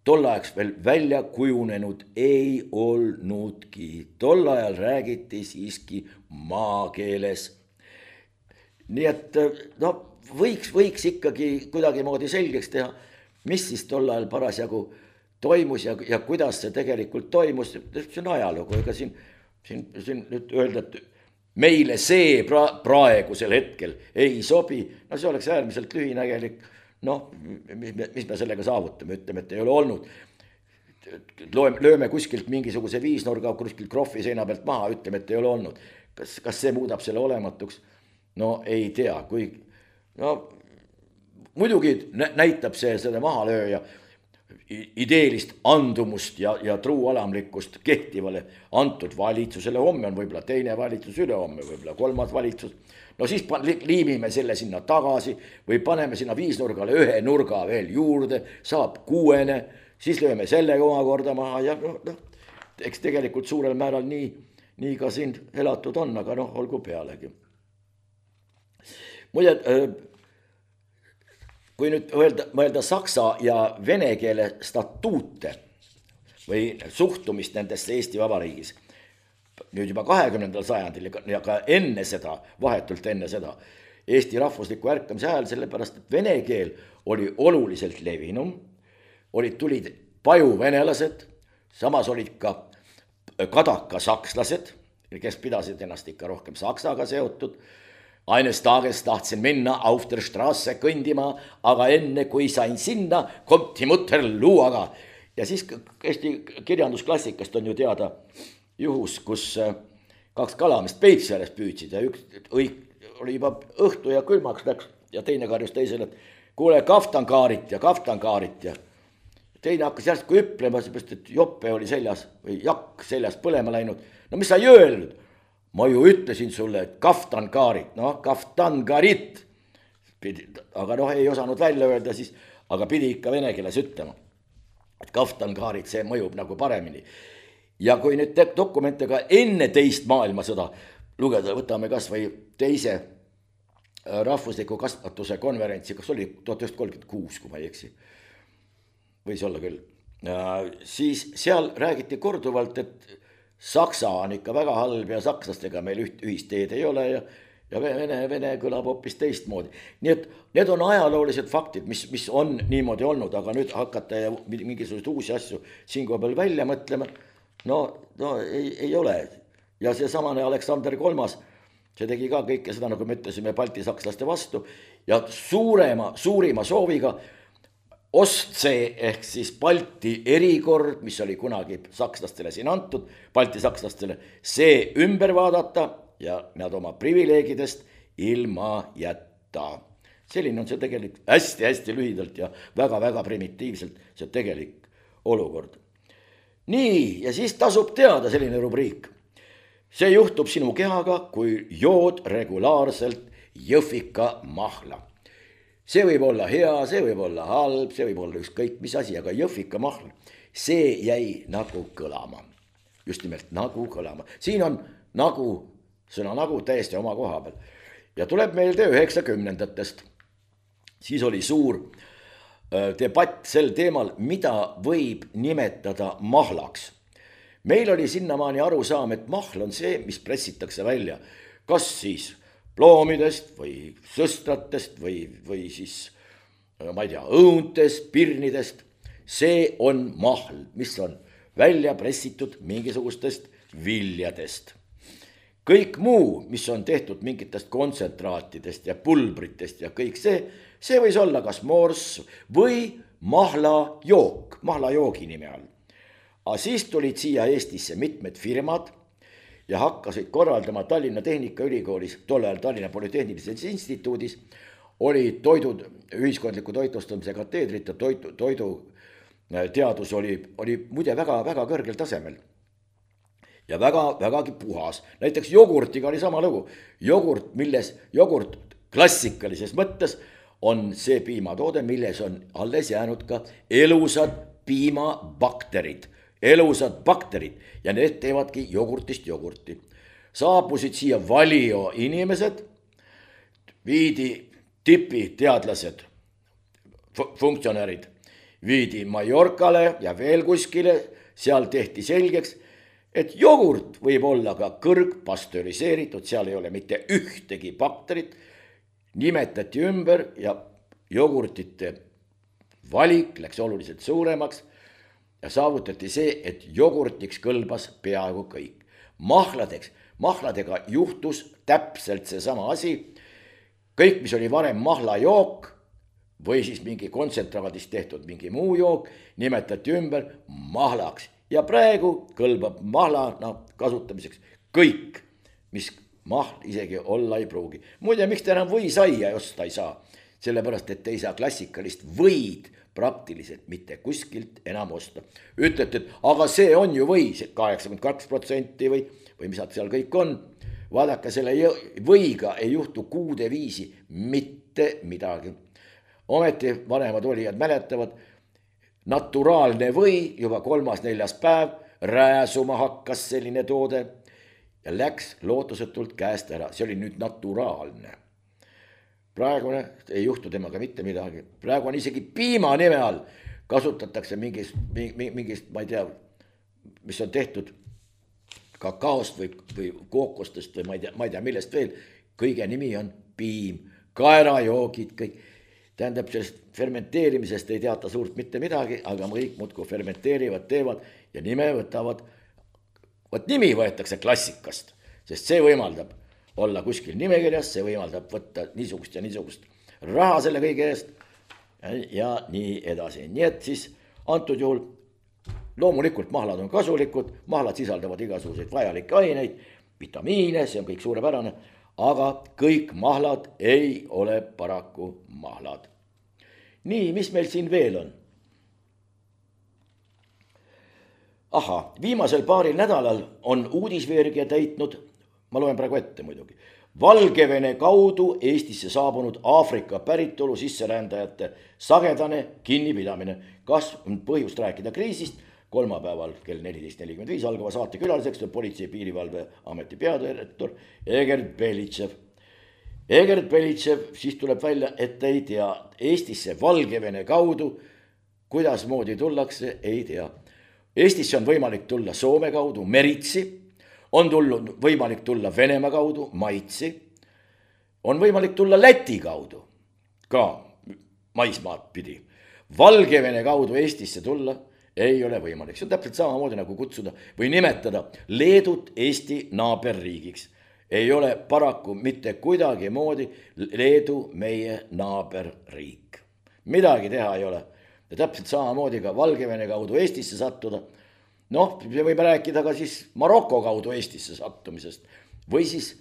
tol ajaks veel välja kujunenud ei olnudki, tol ajal räägiti siiski maakeeles. Nii et no, võiks ikkagi kuidagimoodi selgeks teha, mis siis tol ajal parasjagu toimus ja kuidas see tegelikult toimus, see on ajalugu, ega siin nüüd öelda, et meile see praegusel hetkel ei sobi, no see oleks äärmiselt lühinägelik, noh, mis me sellega saavutame, ütleme, et ei ole olnud. Lööme kuskilt mingisuguse viisnurga kuskilt krohvi seina pealt maha, ütleme, et ei ole olnud. Kas see muudab selle olematuks? No ei tea, muidugi näitab see seda mahalööja ideelist andumust ja truualamlikkust kehtivale antud valitsusele, homme on võib-olla teine valitsus, ülehomme võib-olla kolmas valitsus, no siis liimime selle sinna tagasi või paneme sinna viisnurgale ühe nurga veel juurde, saab 6, siis lööme selle omakorda maha ja eks tegelikult suurel määral nii ka siin elatud on, aga olgu pealegi. Muide, kui nüüd mõelda saksa ja vene keele statuute või suhtumist nendesse Eesti Vabariigis, nüüd juba 20. sajandil ja ka enne seda, vahetult enne seda, Eesti rahvusliku ärkamise ajal, sellepärast, et vene keel oli oluliselt levinum, tulid pajuvenelased, samas olid ka kadaka sakslased, kes pidasid ennast ikka rohkem saksaga seotud. Eines tages tahtsin minna auf der Straße kõndima, aga enne kui sain sinna, kommt die Mutter luuaga. Ja siis Eesti kirjandusklassikast on ju teada juhus, kus 2 kalamist Peipsi ääres püüdsid ja üks oli juba õhtu ja külmaks läks ja teine karjus teisele, et kuule kaftankaarit ja teine hakkas järsku hüplema, seepärast, et jope oli seljas või jakk seljas põlema läinud. No mis sa ei öelnud? Ma ju ütlesin sulle, et kaftankaarit, kaftankarit, aga ei osanud välja öelda siis, aga pidi ikka vene keeles ütlema, et kaftankaarit, see mõjub nagu paremini. Ja kui nüüd dokumente ka enne teist maailmasõda lugeda, võtame kas või teise rahvusliku kasvatuse konverentsi, kas oli 1936, kui ma ei eksi, võis olla küll, siis seal räägiti korduvalt, et Saksa on ikka väga halb ja sakslastega meil ühist teed ei ole ja vene kõlab hoopis teistmoodi. Nii et need on ajaloolised faktid, mis on niimoodi olnud, aga nüüd hakata ja mingisuguseid uusi asju siin koha peal välja mõtlema, no ei ole. Ja see samane Aleksander III, see tegi ka kõike seda, nagu me ütlesime, balti sakslaste vastu ja suurima sooviga Ostsee ehk siis Balti erikord, mis oli kunagi sakslastele siin antud, Balti sakslastele, see ümber vaadata ja nad oma privileegidest ilma jätta. Selline on see tegelikult hästi lühidalt ja väga primitiivselt see tegelik olukord. nii, ja siis tasub teada selline rubriik. See juhtub sinu kehaga, kui jood regulaarselt jõhvika mahla. See võib olla hea, see võib olla halb, see võib olla ükskõik mis asi, aga jõhvika mahl, see jäi nagu kõlama. Just nimelt nagu kõlama. Siin on nagu, sõna nagu täiesti oma koha peal. Ja tuleb meelde 90-ndatest. Siis oli suur debatt sel teemal, mida võib nimetada mahlaks. Meil oli sinnamaani arusaam, et mahl on see, mis pressitakse välja. Kas siis ploomidest või sõstratest või siis, ma ei tea, õuntest, pirnidest. See on mahl, mis on välja pressitud mingisugustest viljadest. Kõik muu, mis on tehtud mingitest kontsentraatidest ja pulbritest ja kõik see võis olla kas morss või mahlajook, mahlajoogi nime all. Aga siis tulid siia Eestisse mitmed firmad ja hakkasid korraldama Tallinna Tehnikaülikoolis, tol ajal Tallinna Polütehnilises Instituudis, oli ühiskondliku toitlustamise kateedrit ja toidu teadus oli muide väga kõrgel tasemel ja vägagi puhas. Näiteks jogurtiga oli sama lugu. Jogurt klassikalises mõttes on see piimatoode, milles on alles jäänud ka elusad piimabakterid ja need teevadki jogurtist jogurti. Saabusid siia Valio inimesed, viidi tipiteadlased, funktsionäärid, viidi Mallorcale ja veel kuskile, seal tehti selgeks, et jogurt võib olla ka kõrgpastöriseeritud, seal ei ole mitte ühtegi bakterit, nimetati ümber ja jogurtite valik läks oluliselt suuremaks ja saavutati see, et jogurtiks kõlbas peaaegu kõik. Mahladega juhtus täpselt seesama asi, kõik, mis oli varem mahlajook, või siis mingi kontsentraadist tehtud mingi muu jook, nimetati ümber mahlaks. Ja praegu kõlbab mahlana kasutamiseks kõik, mis mahl isegi olla ei pruugi. Muide, miks te enam võisaia osta ei saa? Sellepärast, et te ei saa klassikalist võid praktiliselt mitte kuskilt enam osta. Ütlete, et aga see on ju või, 82% või mis seal kõik on. Vaadake, selle võiga ei juhtu kuude viisi mitte midagi. Ometi vanemad olijad mäletavad, naturaalne või juba 3.-4. päev rääsuma hakkas selline toode ja läks lootusetult käest ära. See oli nüüd naturaalne. Praegune ei juhtu temaga mitte midagi. Praegu on isegi piima nime all. Kasutatakse mingist, ma ei tea, mis on tehtud kakaost või kookostest või ma ei tea millest veel. Kõige nimi on piim, kaerajoogid, kõik. Tähendab, sellest fermenteerimisest ei teata suurt mitte midagi, aga kõik muudkui fermenteerivad, teevad ja nime võtavad. Võt nimi võetakse klassikast, sest see võimaldab olla kuskil nimekirjas, see võimaldab võtta niisugust ja niisugust raha selle kõige eest ja nii edasi. Nii et siis antud juhul loomulikult mahlad on kasulikud, mahlad sisaldavad igasuguseid vajalikke aineid, vitamiine, see on kõik suurepärane, aga kõik mahlad ei ole paraku mahlad. Nii, mis meil siin veel on? Viimasel paaril nädalal on uudisveergia täitnud, ma loen praegu ette muidugi, Valgevene kaudu Eestisse saabunud Aafrika päritolu sisserändajate sagedane kinnipidamine. Kas on põhjust rääkida kriisist? Kolmapäeval kell 14.45 algava saate külaliseks on Politsei- ja Piirivalveameti peadirektor Egert Belitšev. Egert Belitšev siis tuleb välja, et ei tea Eestisse Valgevene kaudu, kuidas moodi tullakse, ei tea. Eestisse on võimalik tulla Soome kaudu, meritsi, on võimalik tulla Venemaa kaudu, maitsi, on võimalik tulla Läti kaudu, ka maismaad pidi. Valgevene kaudu Eestisse tulla ei ole võimalik. See on täpselt samamoodi nagu kutsuda või nimetada Leedut Eesti naaberriigiks. Ei ole paraku mitte kuidagi moodi Leedu meie naaberriik. Midagi teha ei ole. Ja täpselt samamoodi ka Valgevene kaudu Eestisse sattuda. Noh, me võime rääkida ka siis Maroko kaudu Eestisse sattumisest. Või siis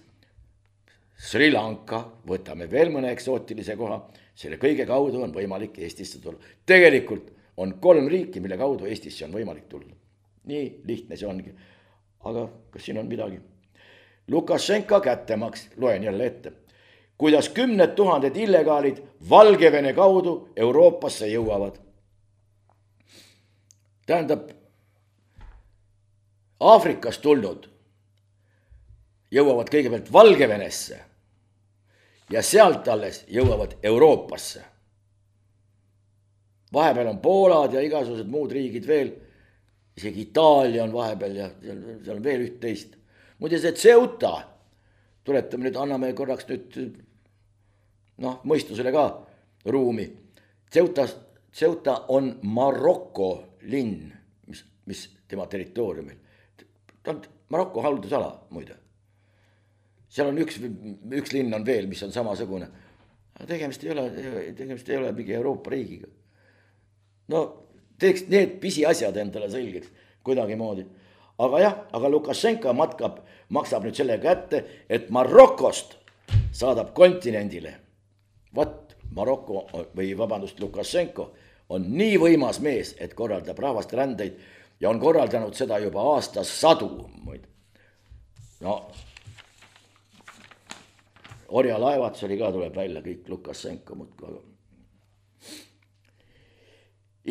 Sri Lanka, võtame veel mõne eksootilise koha, selle kõige kaudu on võimalik Eestisse tulla. Tegelikult on 3 riiki, mille kaudu Eestisse on võimalik tulla. nii lihtne see ongi. Aga kas siin on midagi? Lukašenka kättemaks, loen jälle ette. Kuidas 10 000 illegaalid Valgevene kaudu Euroopasse jõuavad. Tähendab, Aafrikast tulnud jõuavad kõigepealt Valgevenesse ja sealt alles jõuavad Euroopasse. Vahepeal on Poolad ja igasugused muud riigid veel, isegi Itaalia on vahepeal ja seal on veel üht-teist. Muide see Ceuta, tuletame nüüd, anname korraks nüüd mõistusele ka ruumi. Ceuta on Maroko linn, mis tema territooriumil. Ta on Maroko haldusala muide. Seal on üks linn on veel, mis on samasugune. Tegemist ei ole mingi Euroopa riigiga. No teeks need pisiasjad endale selgeks kuidagi moodi. Aga Lukašenka maksab nüüd selle kätte, et Marokost saadab kontinendile. Maroko Lukašenko on nii võimas mees, et korraldab rahvast rändeid ja on korraldanud seda juba aastas 100. Orjalaevatus oli ka, tuleb välja kõik Lukašenko muudkui.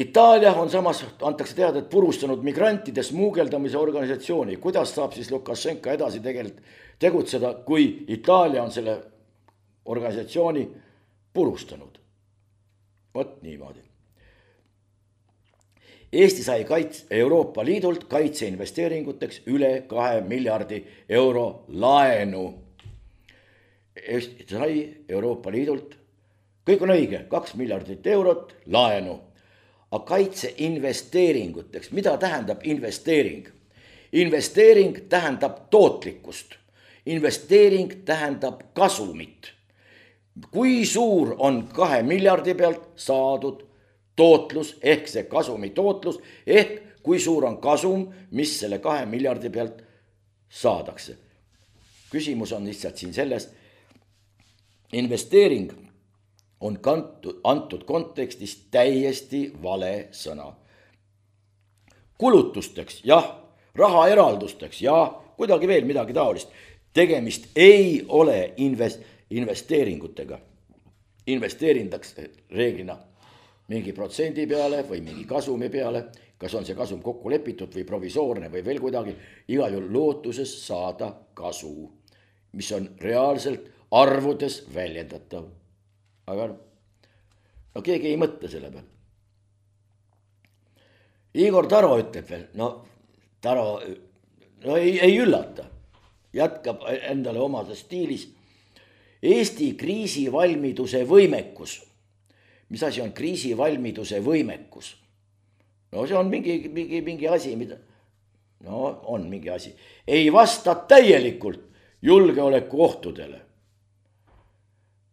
Itaalia on samas, antakse teada, et purustanud migrantide smuugeldamise organisatsiooni. Kuidas saab siis Lukašenka edasi tegutseda, kui Itaalia on selle organisatsiooni purustanud? Vot niimoodi. Eesti sai Euroopa Liidult kaitseinvesteeringuteks üle 2 miljardi euro laenu. Eesti sai Euroopa Liidult, kõik on õige, 2 miljardit eurot laenu. Aga kaitseinvesteeringuteks, mida tähendab investeering? Investeering tähendab tootlikkust. Investeering tähendab kasumit. Kui suur on 2 miljardi pealt saadud tootlus ehk see kasumi tootlus ehk kui suur on kasum, mis selle 2 miljardi pealt saadakse. Küsimus on lihtsalt siin selles, investeering on antud kontekstis täiesti vale sõna. Kulutusteks, jah, rahaeraldusteks, jah, kuidagi veel midagi taolist. Tegemist ei ole investeeringutega. Investeerintakse reeglina mingi protsendi peale või mingi kasumi peale, kas on see kasum kokku lepitud või provisoorne või veel kuidagi, igal juhul lootuses saada kasu, mis on reaalselt arvudes väljendatav. Aga keegi ei mõtle selle peal. Igor Taro ütleb veel, Taro ei üllata, jätkab endale omases stiilis. Eesti kriisivalmiduse võimekus. Mis asi on kriisivalmiduse võimekus? See on mingi asi, mida... on mingi asi. Ei vasta täielikult julgeoleku ohtudele.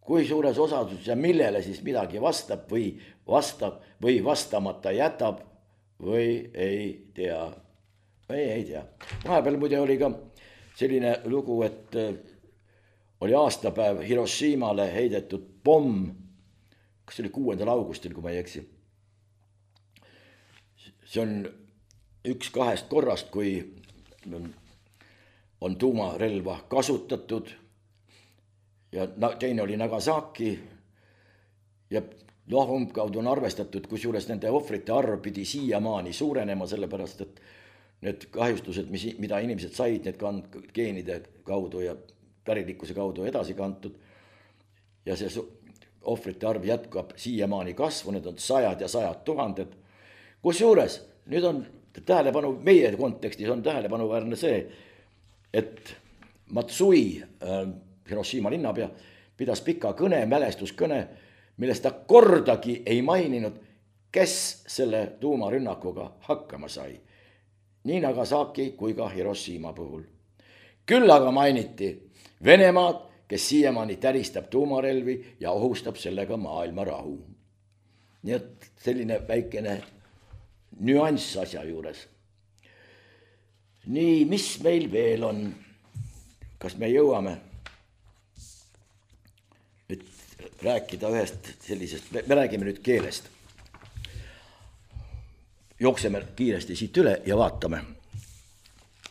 Kui suures osadus ja millele siis midagi vastab või vastamata jätab või ei tea. Vahepeal muide oli ka selline lugu, et oli aastapäev Hiroshimale heidetud pomm, kas oli 6. augustil, kui ma ei eksi. See on üks 2 korrast, kui on tuumarelva kasutatud ja teine oli Nagasaki ja umbkaudu on arvestatud, kusjuures nende ohvrite arv pidi siiamaani suurenema, sellepärast et need kahjustused, mida inimesed said, need geenide kaudu ja pärilikkuse kaudu edasi kantud ja see ohvrite arv jätkab siiamaani kasvu, need on 100 ja 100 000. Kusjuures nüüd on tähelepanu, meie kontekstis on tähelepanuväärne see, et Matsui, Hiroshima linnapea, pidas pika kõne, mälestuskõne, millest ta kordagi ei maininud, kes selle tuumarünnakuga hakkama sai. Nii Nagasaki kui ka Hiroshima puhul. Küll aga mainiti Venemaad, kes siiamaani täristab tuumarelvi ja ohustab sellega maailma rahu. Nii et selline väikene nüanss asja juures. Nii, mis meil veel on? Kas me jõuame nüüd rääkida ühest sellisest, me räägime nüüd keelest. jookseme kiiresti siit üle ja vaatame.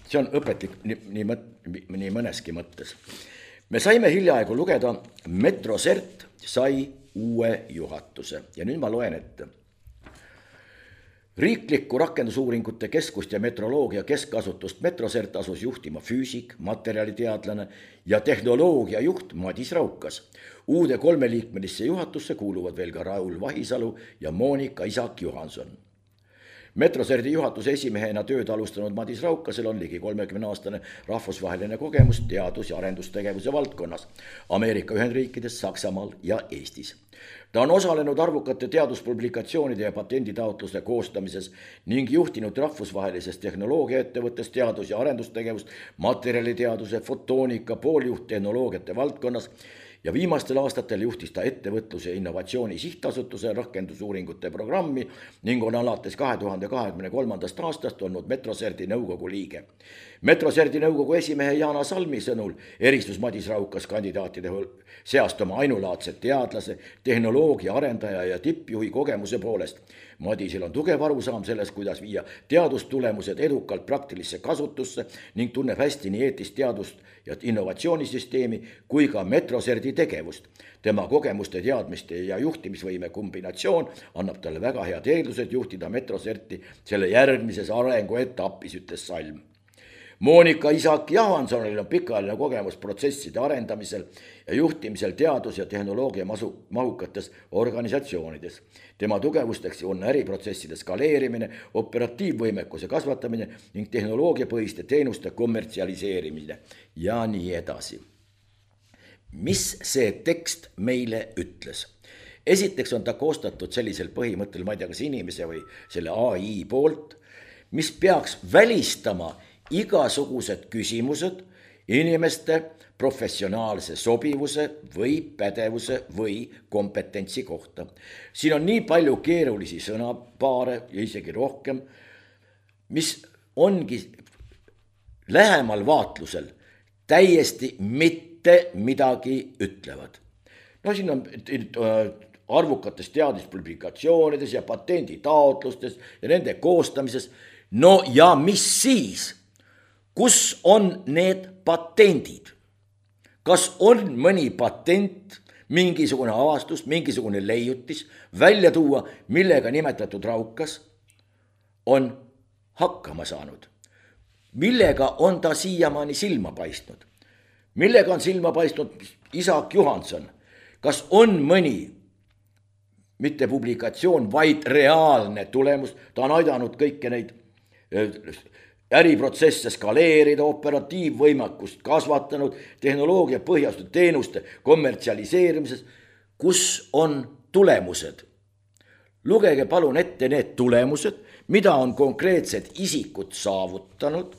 See on õpetlik nii mõneski mõttes. Me saime hiljaaegu lugeda, Metrosert sai uue juhatuse ja nüüd ma loen ette. Riiklikku rakendusuuringute keskust ja metroloogia keskasutust Metrosert asus juhtima füüsik, materjaliteadlane ja tehnoloogia juht Madis Raukas. Uude 3-liikmelisse juhatusse kuuluvad veel ka Raul Vahisalu ja Monika Isak-Johanson. Metroserti juhatuse esimehena tööd alustanud Madis Raukasel on ligi 30-aastane rahvusvaheline kogemus teadus- ja arendustegevuse valdkonnas Ameerika Ühendriikides, Saksamaal ja Eestis. Ta on osalenud arvukate teaduspublikatsioonide ja patenditaotluse koostamises ning juhtinud rahvusvahelises tehnoloogiaettevõttes teadus- ja arendustegevust materjaliteaduse, fotoonika, pooljuhttehnoloogiate valdkonnas ja viimastel aastatel juhtis ta ettevõtluse innovatsiooni sihtasutuse rakendusuuringute programmi ning on alates 2023. aastast olnud Metroserti nõukogu liige. Metroserti nõukogu esimehe Jana Salmi sõnul eristus Madis Raukas kandidaatide seast oma ainulaadse teadlase, tehnoloogia arendaja ja tippjuhi kogemuse poolest. Madisel on tugev arusaam selles, kuidas viia teadustulemused edukalt praktilisse kasutusse ning tunneb hästi nii eetist teadust ja innovatsioonisüsteemi kui ka Metroserti tegevust. Tema kogemuste, teadmiste ja juhtimisvõime kombinatsioon annab talle väga head eeldused juhtida Metroserti selle järgmises arenguetapis, ütles Salm. Monika Isak-Johansonil on pikaajaline kogemus protsesside arendamisel ja juhtimisel teadus- ja tehnoloogia mahukates organisatsioonides. Tema tugevusteks on äriprotsesside skaleerimine, operatiivvõimekuse kasvatamine ning tehnoloogiapõhiste teenuste kommertsialiseerimine ja nii edasi. Mis see tekst meile ütles? Esiteks on ta koostatud sellisel põhimõttel, ma ei tea, kas inimese või selle AI poolt, mis peaks välistama igasugused küsimused inimeste professionaalse sobivuse või pädevuse või kompetentsi kohta. Siin on nii palju keerulisi sõnapaare ja isegi rohkem, mis ongi lähemal vaatlusel täiesti mitte midagi ütlevad. No siin on arvukates teaduspublikatsioonides ja patenditaotlustes ja nende koostamises. No ja mis siis? Kus on need patendid? Kas on mõni patent, mingisugune avastus, mingisugune leiutis välja tuua, millega nimetatud Raukas on hakkama saanud? Millega on ta siiamaani silma paistnud? Millega on silma paistnud Isak-Johanson? Kas on mõni, mitte publikatsioon, vaid reaalne tulemus? Ta on aidanud kõike neid äriprotsesse skaleerida, operatiivvõimekust kasvatanud, tehnoloogia põhjastatud teenuste kommertsialiseerimises. Kus on tulemused? Lugege palun ette need tulemused, mida on konkreetsed isikud saavutanud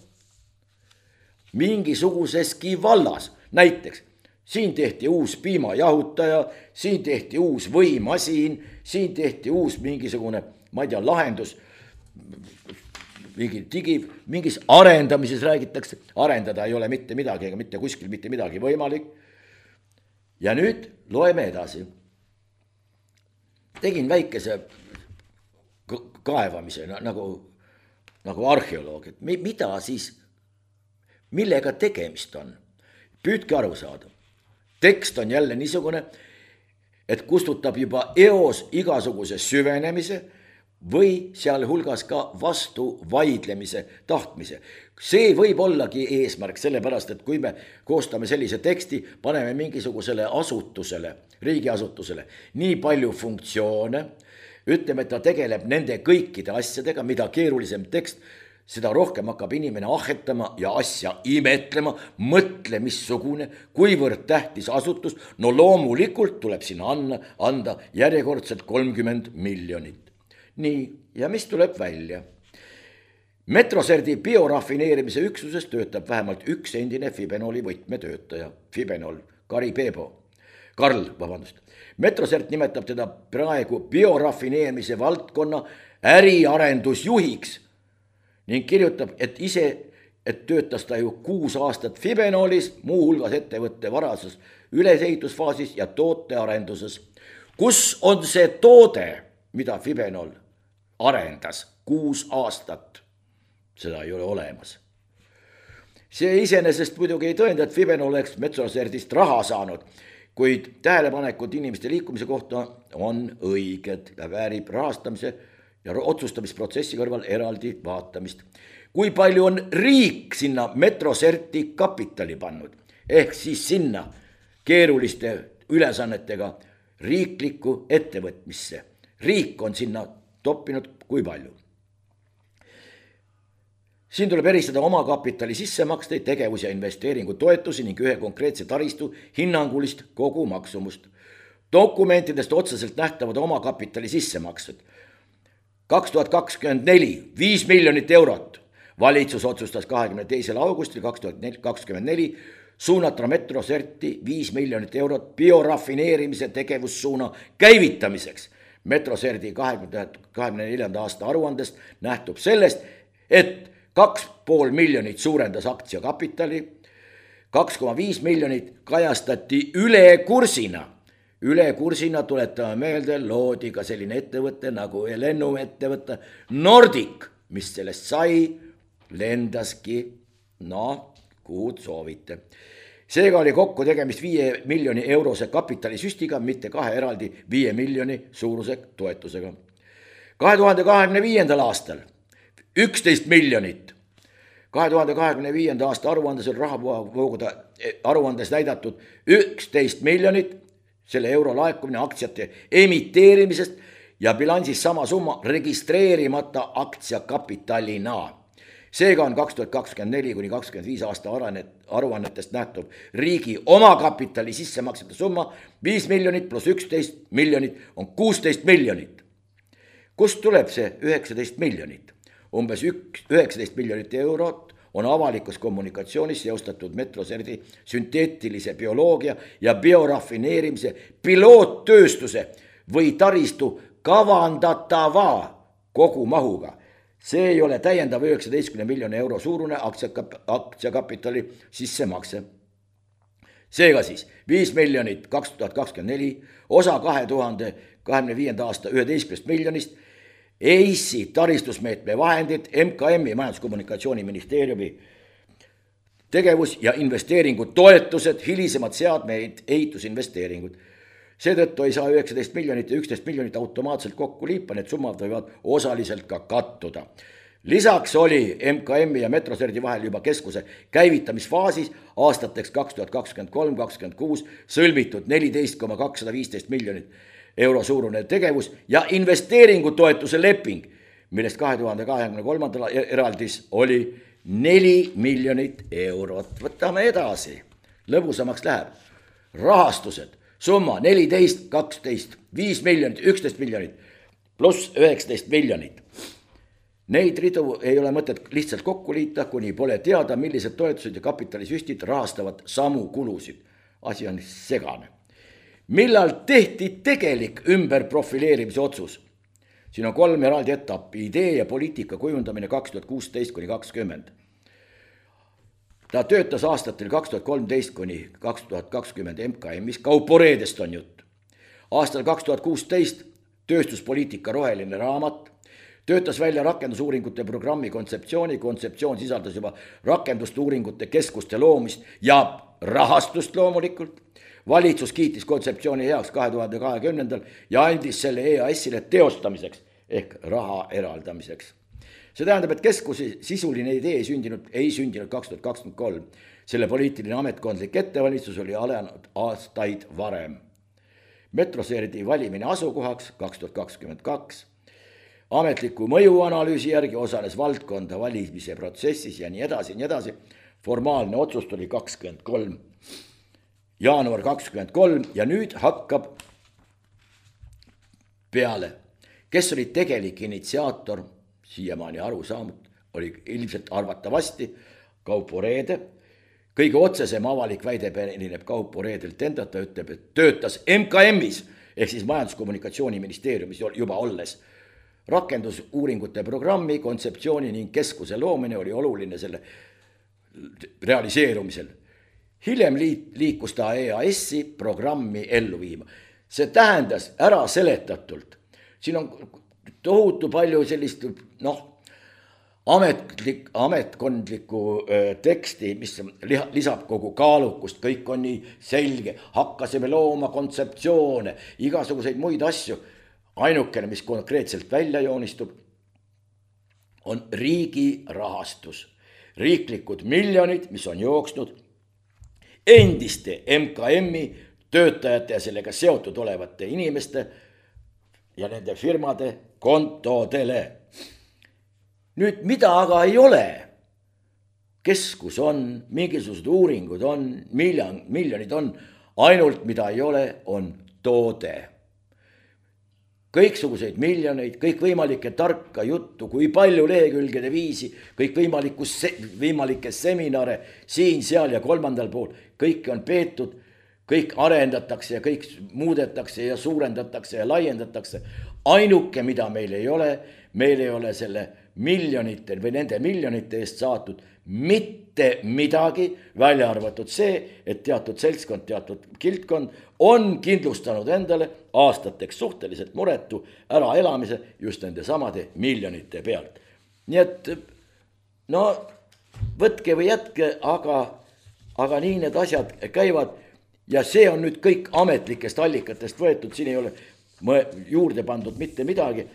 mingisuguseski vallas. Näiteks, siin tehti uus piimajahutaja, siin tehti uus võimasin, siin tehti uus mingisugune, ma ei tea, lahendus, mingis arendamises räägitakse, arendada ei ole mitte midagi ega mitte kuskil mitte midagi võimalik. Ja nüüd loeme edasi. Tegin väikese kaevamise nagu arheoloog, et mida siis, millega tegemist on? Püüdke aru saada. Tekst on jälle niisugune, et kustutab juba eos igasuguse süvenemise või sealhulgas ka vastu vaidlemise tahtmise. See võib ollagi eesmärk, sellepärast, et kui me koostame sellise teksti, paneme mingisugusele asutusele, riigiasutusele nii palju funktsioone, ütleme, et ta tegeleb nende kõikide asjadega, mida keerulisem tekst, seda rohkem hakkab inimene ahetama ja asja imetlema, mõtle missugune, kuivõrd tähtis asutus, no loomulikult tuleb sinna anda järjekordselt 30 miljonit. Nii, ja mis tuleb välja? Metroserti biorafineerimise üksuses töötab vähemalt üks endine Fibenoli võtmetöötaja, Fibenol, Karl. Metrosert nimetab teda praegu biorafineerimise valdkonna äriarendusjuhiks ning kirjutab, et töötas ta ju 6 aastat Fibenolis, muuhulgas ettevõtte varases ülesehitusfaasis ja tootearenduses. Kus on see toode, mida Fibenol arendas 6 aastat. Seda ei ole olemas. See iseenesest muidugi ei tõenda, et Fiben oleks Metroserdist raha saanud, kuid tähelepanekud inimeste liikumise kohta on õiged ja väärib rahastamise ja otsustamisprotsessi kõrval eraldi vaatamist. Kui palju on riik sinna Metroserti kapitali pannud, ehk siis sinna keeruliste ülesannetega riiklikku ettevõtmisse. Riik on sinna toppinud kui palju. Siin tuleb eristada omakapitali sissemaksteid, tegevus- ja investeeringu toetusi ning ühe konkreetse taristu hinnangulist kogumaksumust. Dokumentidest otseselt nähtavad omakapitali sissemaksed. 2024 5 miljonit eurot. Valitsus otsustas 22. augustil 2024 suunata Metroserti 5 miljonit eurot biorafineerimise tegevussuuna käivitamiseks. Metroserti 2024. aasta aruandest nähtub sellest, et 2,5 miljonit suurendas aktsiakapitali, 2,5 miljonit kajastati ülekursina. Ülekursina tuletame meelde, loodi ka selline ettevõte nagu lennuettevõte Nordic, mis sellest sai, lendaski, kuhu soovite. Seega oli kokku tegemist 5 miljoni eurose kapitalisüstiga, mitte 2 eraldi 5 miljoni suuruse toetusega. 2025. aastal 11 miljonit. 2025. aasta aruandes on rahavoogude aruandes näidatud 11 miljonit, selle euro laekumine aktsiate emiteerimisest ja bilansis sama summa registreerimata aktsiakapitalina. Seega on 2024–2025 aasta aruannetest nähtuv riigi omakapitali sissemaksete summa 5 miljonit pluss 11 miljonit on 16 miljonit. Kust tuleb see 19 miljonit? Umbes 19 miljonit eurot on avalikus kommunikatsioonis seostatud Metroserti sünteetilise bioloogia ja biorafineerimise piloottööstuse või taristu kavandatava kogumahuga. See ei ole täiendav 19 miljoni euro suurune aktsiakapitali sissemakse. Seega siis 5 miljonit 2024, osa 2025. aasta 11 miljonist, EISi taristusmeetme vahendid, MKM-i Majandus-Kommunikatsiooniministeeriumi tegevus- ja investeeringud, toetused, hilisemad seadmeid, ehitusinvesteeringud. Seetõttu ei saa 19 miljonit ja 11 miljonit automaatselt kokku liipa, need summad võivad osaliselt ka kattuda. Lisaks oli MKM-i ja Metroserti vahel juba keskuse käivitamisfaasis aastateks 2023-2026 sõlmitud 14,215 miljonit euro suurune tegevus- ja investeeringutoetuse leping, millest 2023. eraldis oli 4 miljonit eurot. Võtame edasi, lõbusamaks läheb. Rahastused, summa 14, 12, 5 miljonit, 11 miljonit pluss 19 miljonit. Neid ridu ei ole mõtet lihtsalt kokku liita, kuni pole teada, millised toetused ja kapitalisüstid rahastavad samu kulusid. Asi on segane. Millal tehti tegelik ümberprofileerimise otsus? Siin on 3 eraldi etappi, idee ja poliitika kujundamine 2016–2020. Ta töötas aastatel 2013–2020 MKM-is, Kauporeedest on jutt. Aastal 2016 tööstuspoliitika roheline raamat, töötas välja rakendusuuringute programmi kontseptsiooni, kontseptsioon sisaldas juba rakendusuuringute keskuste loomist ja rahastust loomulikult. Valitsus kiitis kontseptsiooni heaks 2020 ja andis selle EAS-ile teostamiseks ehk raha eraldamiseks. See tähendab, et keskuse sisuline idee ei sündinud 2023. Selle poliitiline ametkondlik ettevalmistus oli alanud aastaid varem. Metroserti valimine asukohaks 2022. Ametliku mõjuanalüüsi järgi osales valdkonda valimise protsessis ja nii edasi. Formaalne otsus tuli 23. jaanuar 2023 ja nüüd hakkab peale. Kes oli tegelik initsiaator, siiamaani aru saamud, oli ilmselt arvatavasti Kauporeede. Kõige otsesem avalik väide pärineb Kauporeedelt endalt, ta ütleb, et töötas MKM-is ehk siis Majandus-Kommunikatsiooniministeeriumis juba olles. Rakendusuuringute programmi, kontseptsiooni ning keskuse loomine oli oluline selle realiseerumisel. Hiljem liikus ta EAS-i programmi ellu viima. See tähendas ära seletatult. Siin on tohutu palju sellist ametkondlikku teksti, mis lisab kogu kaalukust, kõik on nii selge, hakkasime looma kontseptsioone, igasuguseid muid asju. Ainukene, mis konkreetselt välja joonistub, on riigi rahastus, riiklikud miljonid, mis on jooksnud endiste MKM-i töötajate ja sellega seotud olevate inimeste ja nende firmade kontodele. Nüüd, mida aga ei ole? Keskus on, mingisugused uuringud on, miljonid on, ainult mida ei ole, on toode. Kõiksuguseid miljoneid, kõikvõimalikke tarka juttu, kui palju lehekülgede viisi, kõikvõimalikke seminare siin, seal ja kolmandal pool, kõik on peetud, kõik arendatakse ja kõik muudetakse ja suurendatakse ja laiendatakse. Ainuke, mida meil ei ole selle miljonitel või nende miljonite eest saatud mitte midagi, välja arvatud see, et teatud seltskond, teatud kiltkond on kindlustanud endale aastateks suhteliselt muretu äraelamise just nende samade miljonite pealt. Nii et võtke või jätke, aga nii need asjad käivad ja see on nüüd kõik ametlikest allikatest võetud, siin ei ole juurde pandud mitte midagi.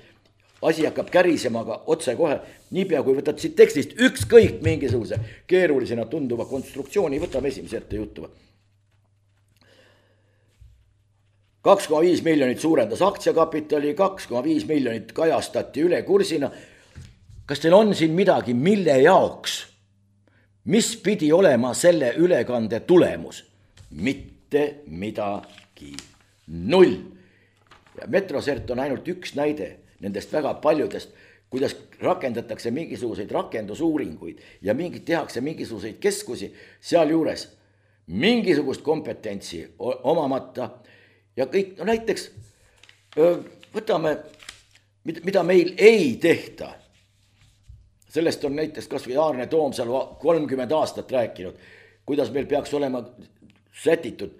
Asi hakkab kärisema aga otse kohe, niipea kui võtad siit tekstist ükskõik mingisuguse keerulisena tunduva konstruktsiooni, võtame esimese ette juttu. 2,5 miljonit suurendas aktsiakapitali, 2,5 miljonit kajastati üle kursina. Kas teil on siin midagi, mille jaoks? Mis pidi olema selle ülekande tulemus? Mitte midagi. Null. Ja Metrosert on ainult üks näide nendest väga paljudest, kuidas rakendatakse mingisuguseid rakendusuuringuid ja tehakse mingisuguseid keskusi seal juures mingisugust kompetentsi omamata ja kõik, näiteks võtame, mida meil ei tehta. Sellest on näiteks kas või Aarne Toomsalu 30 aastat rääkinud, kuidas meil peaks olema sätitud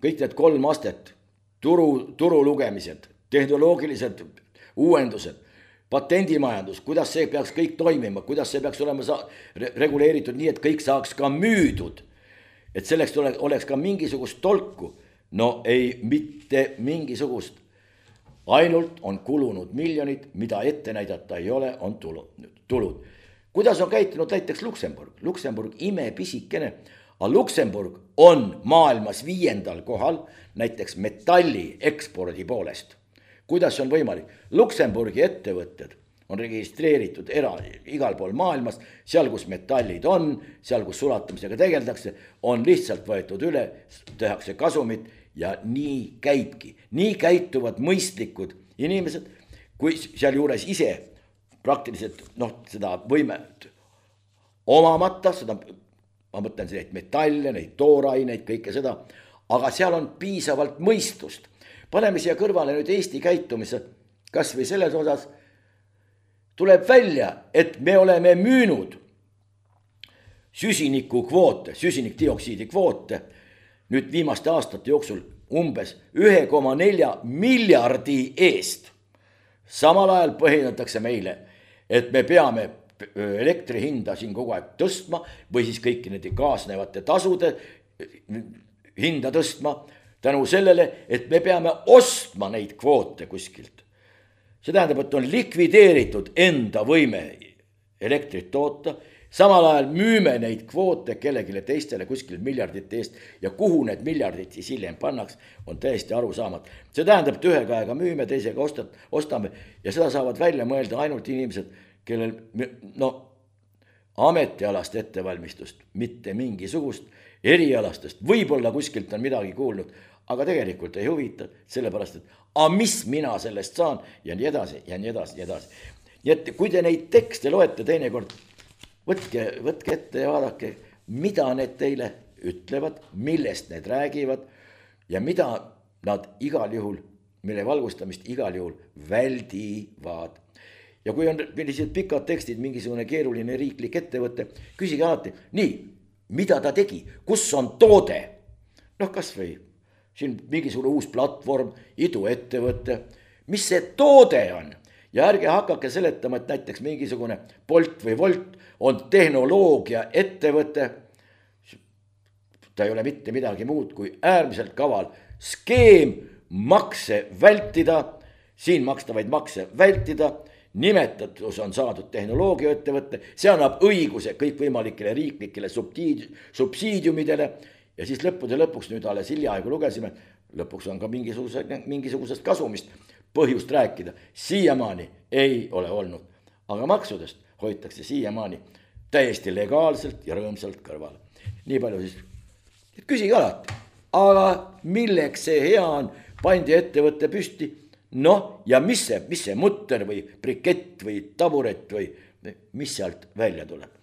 kõik need 3 astet, turu lugemised, tehnoloogilised uuendused, patendimajandus, kuidas see peaks kõik toimima, kuidas see peaks olema reguleeritud nii, et kõik saaks ka müüdud. Et selleks oleks ka mingisugust tolku. No ei, mitte mingisugust. Ainult on kulunud miljonid, mida ette näidata ei ole, on tulud. Kuidas on käitunud näiteks Luksemburg? Luksemburg imepisikene, aga Luksemburg on maailmas 5. kohal näiteks metalli ekspordi poolest. Kuidas on võimalik? Luksemburgi ettevõtted on registreeritud igal pool maailmas, seal kus metallid on, seal kus sulatamisega tegeldakse, on lihtsalt võetud üle, tehakse kasumit ja nii käibki. Nii käituvad mõistlikud inimesed, kui seal juures ise praktiliselt seda võimet omamata, ma mõtlen neid metalle, neid tooraineid, kõike seda, aga seal on piisavalt mõistust. Paneme siia kõrvale nüüd Eesti käitumise, kas või selles osas tuleb välja, et me oleme müünud süsinikdioksiidi kvoote nüüd viimaste aastate jooksul umbes 1,4 miljardi eest. Samal ajal põhjendatakse meile, et me peame elektri hinda siin kogu aeg tõstma või siis kõiki nende kaasnevate tasude hinda tõstma tänu sellele, et me peame ostma neid kvoote kuskilt. See tähendab, et on likvideeritud enda võime elektrit toota, samal ajal müüme neid kvoote kellegile teistele kuskil miljardite eest ja kuhu need miljardid siis hiljem pannaks, on täiesti aru saamat. See tähendab, et ühe käega müüme, teisega ostame ja seda saavad välja mõelda ainult inimesed, kellel ametialast ettevalmistust, mitte mingisugust erialastest, võib-olla kuskilt on midagi kuulnud, aga tegelikult ei huvita, sellepärast, et mis mina sellest saan ja nii edasi ja nii edasi ja nii edasi. Nii et kui te neid tekste loete teinekord, võtke ette ja vaadake, mida need teile ütlevad, millest need räägivad ja mida nad igal juhul, mille valgustamist igal juhul väldivad. Ja kui on sellised pikad tekstid, mingisugune keeruline riiklik ettevõte, küsige alati, nii, mida ta tegi, kus on toode? Kas või siin mingisugune uus platvorm, iduettevõte, mis see toode on Ja ärge hakake seletama, et näiteks mingisugune Bolt või Volt on tehnoloogia ettevõte. Ta ei ole mitte midagi muud kui äärmiselt kaval skeem makse vältida, siin makstavaid makse vältida, nimetatus on saadud tehnoloogia ettevõtte, see annab õiguse kõikvõimalikele riiklikele subsiidiumidele ja siis lõppude lõpuks nüüd alles hiljaaegu lugesime, lõpuks on ka mingisugusest kasumist põhjust rääkida. Siiamaani ei ole olnud, aga maksudest hoitakse siiamaani täiesti legaalselt ja rõõmsalt kõrval. Nii palju siis, et küsige alati, aga milleks see hea on, pandi ettevõtte püsti, noh ja mis see mutter või brikett või taburet või mis sealt välja tuleb?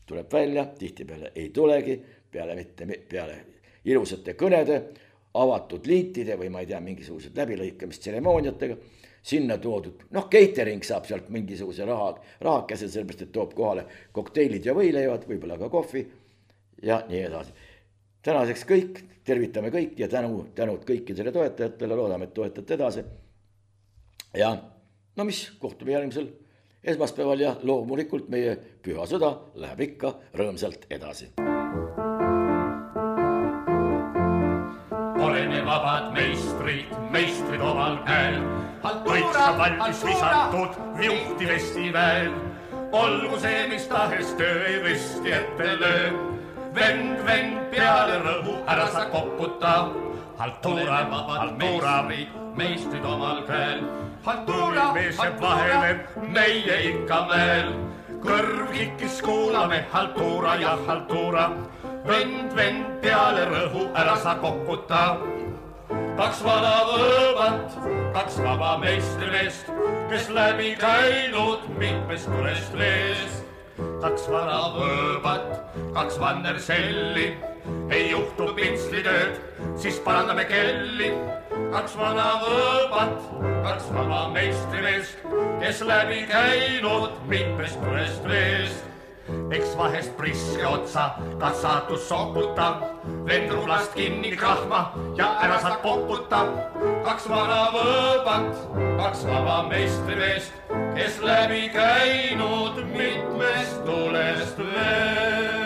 Tuleb välja, tihtipeale ei tulegi, peale ilusate kõnede, avatud liitide või ma ei tea, mingisugused läbilõikamist tseremooniatega, sinna toodud, noh, catering saab sealt mingisuguse rahakese, sellepärast, et toob kohale kokteilid ja võileivad, võib-olla ka kohvi ja nii edasi. Tänaseks kõik, tervitame kõik ja tänud kõikidele toetajatele, loodame, et toetate edasi. Ja no mis, kohtume järgmisel esmaspäeval ja loomulikult meie püha sõda läheb ikka rõõmsalt edasi. Oleme vabad meistrid omal käel, kõik saab valmis visatud juhtivesti väel. Olgu see, mis tahes töö ei risti ette löö, vend peale rõhu ära sa koputa. Haltuura, meistrid omal käel, haltuura, mees jääb vahele, meie ikka mäel. Kõrv kikkis kuulame, haltuura ja haltuura, vend peale rõhu ära sa koputa. Kaks vana võõbat, kaks vaba meistrimeest, kes läbi käinud mitmest tulest veest. Kaks vana võõbat, kaks vannerselli, ei juhtu pintslitööd, siis parandame kelli. Kaks vana võõbat, kaks vaba meistrimeest, kes läbi käinud mitmest tulest veest. Eks vahest priske otsa, kas saatus soputa, vend rulast kinni krahma ja ära saad poputa. Kaks vana võõbat, kaks vaba meistrimeest, kes läbi käinud mitmest tulest veest.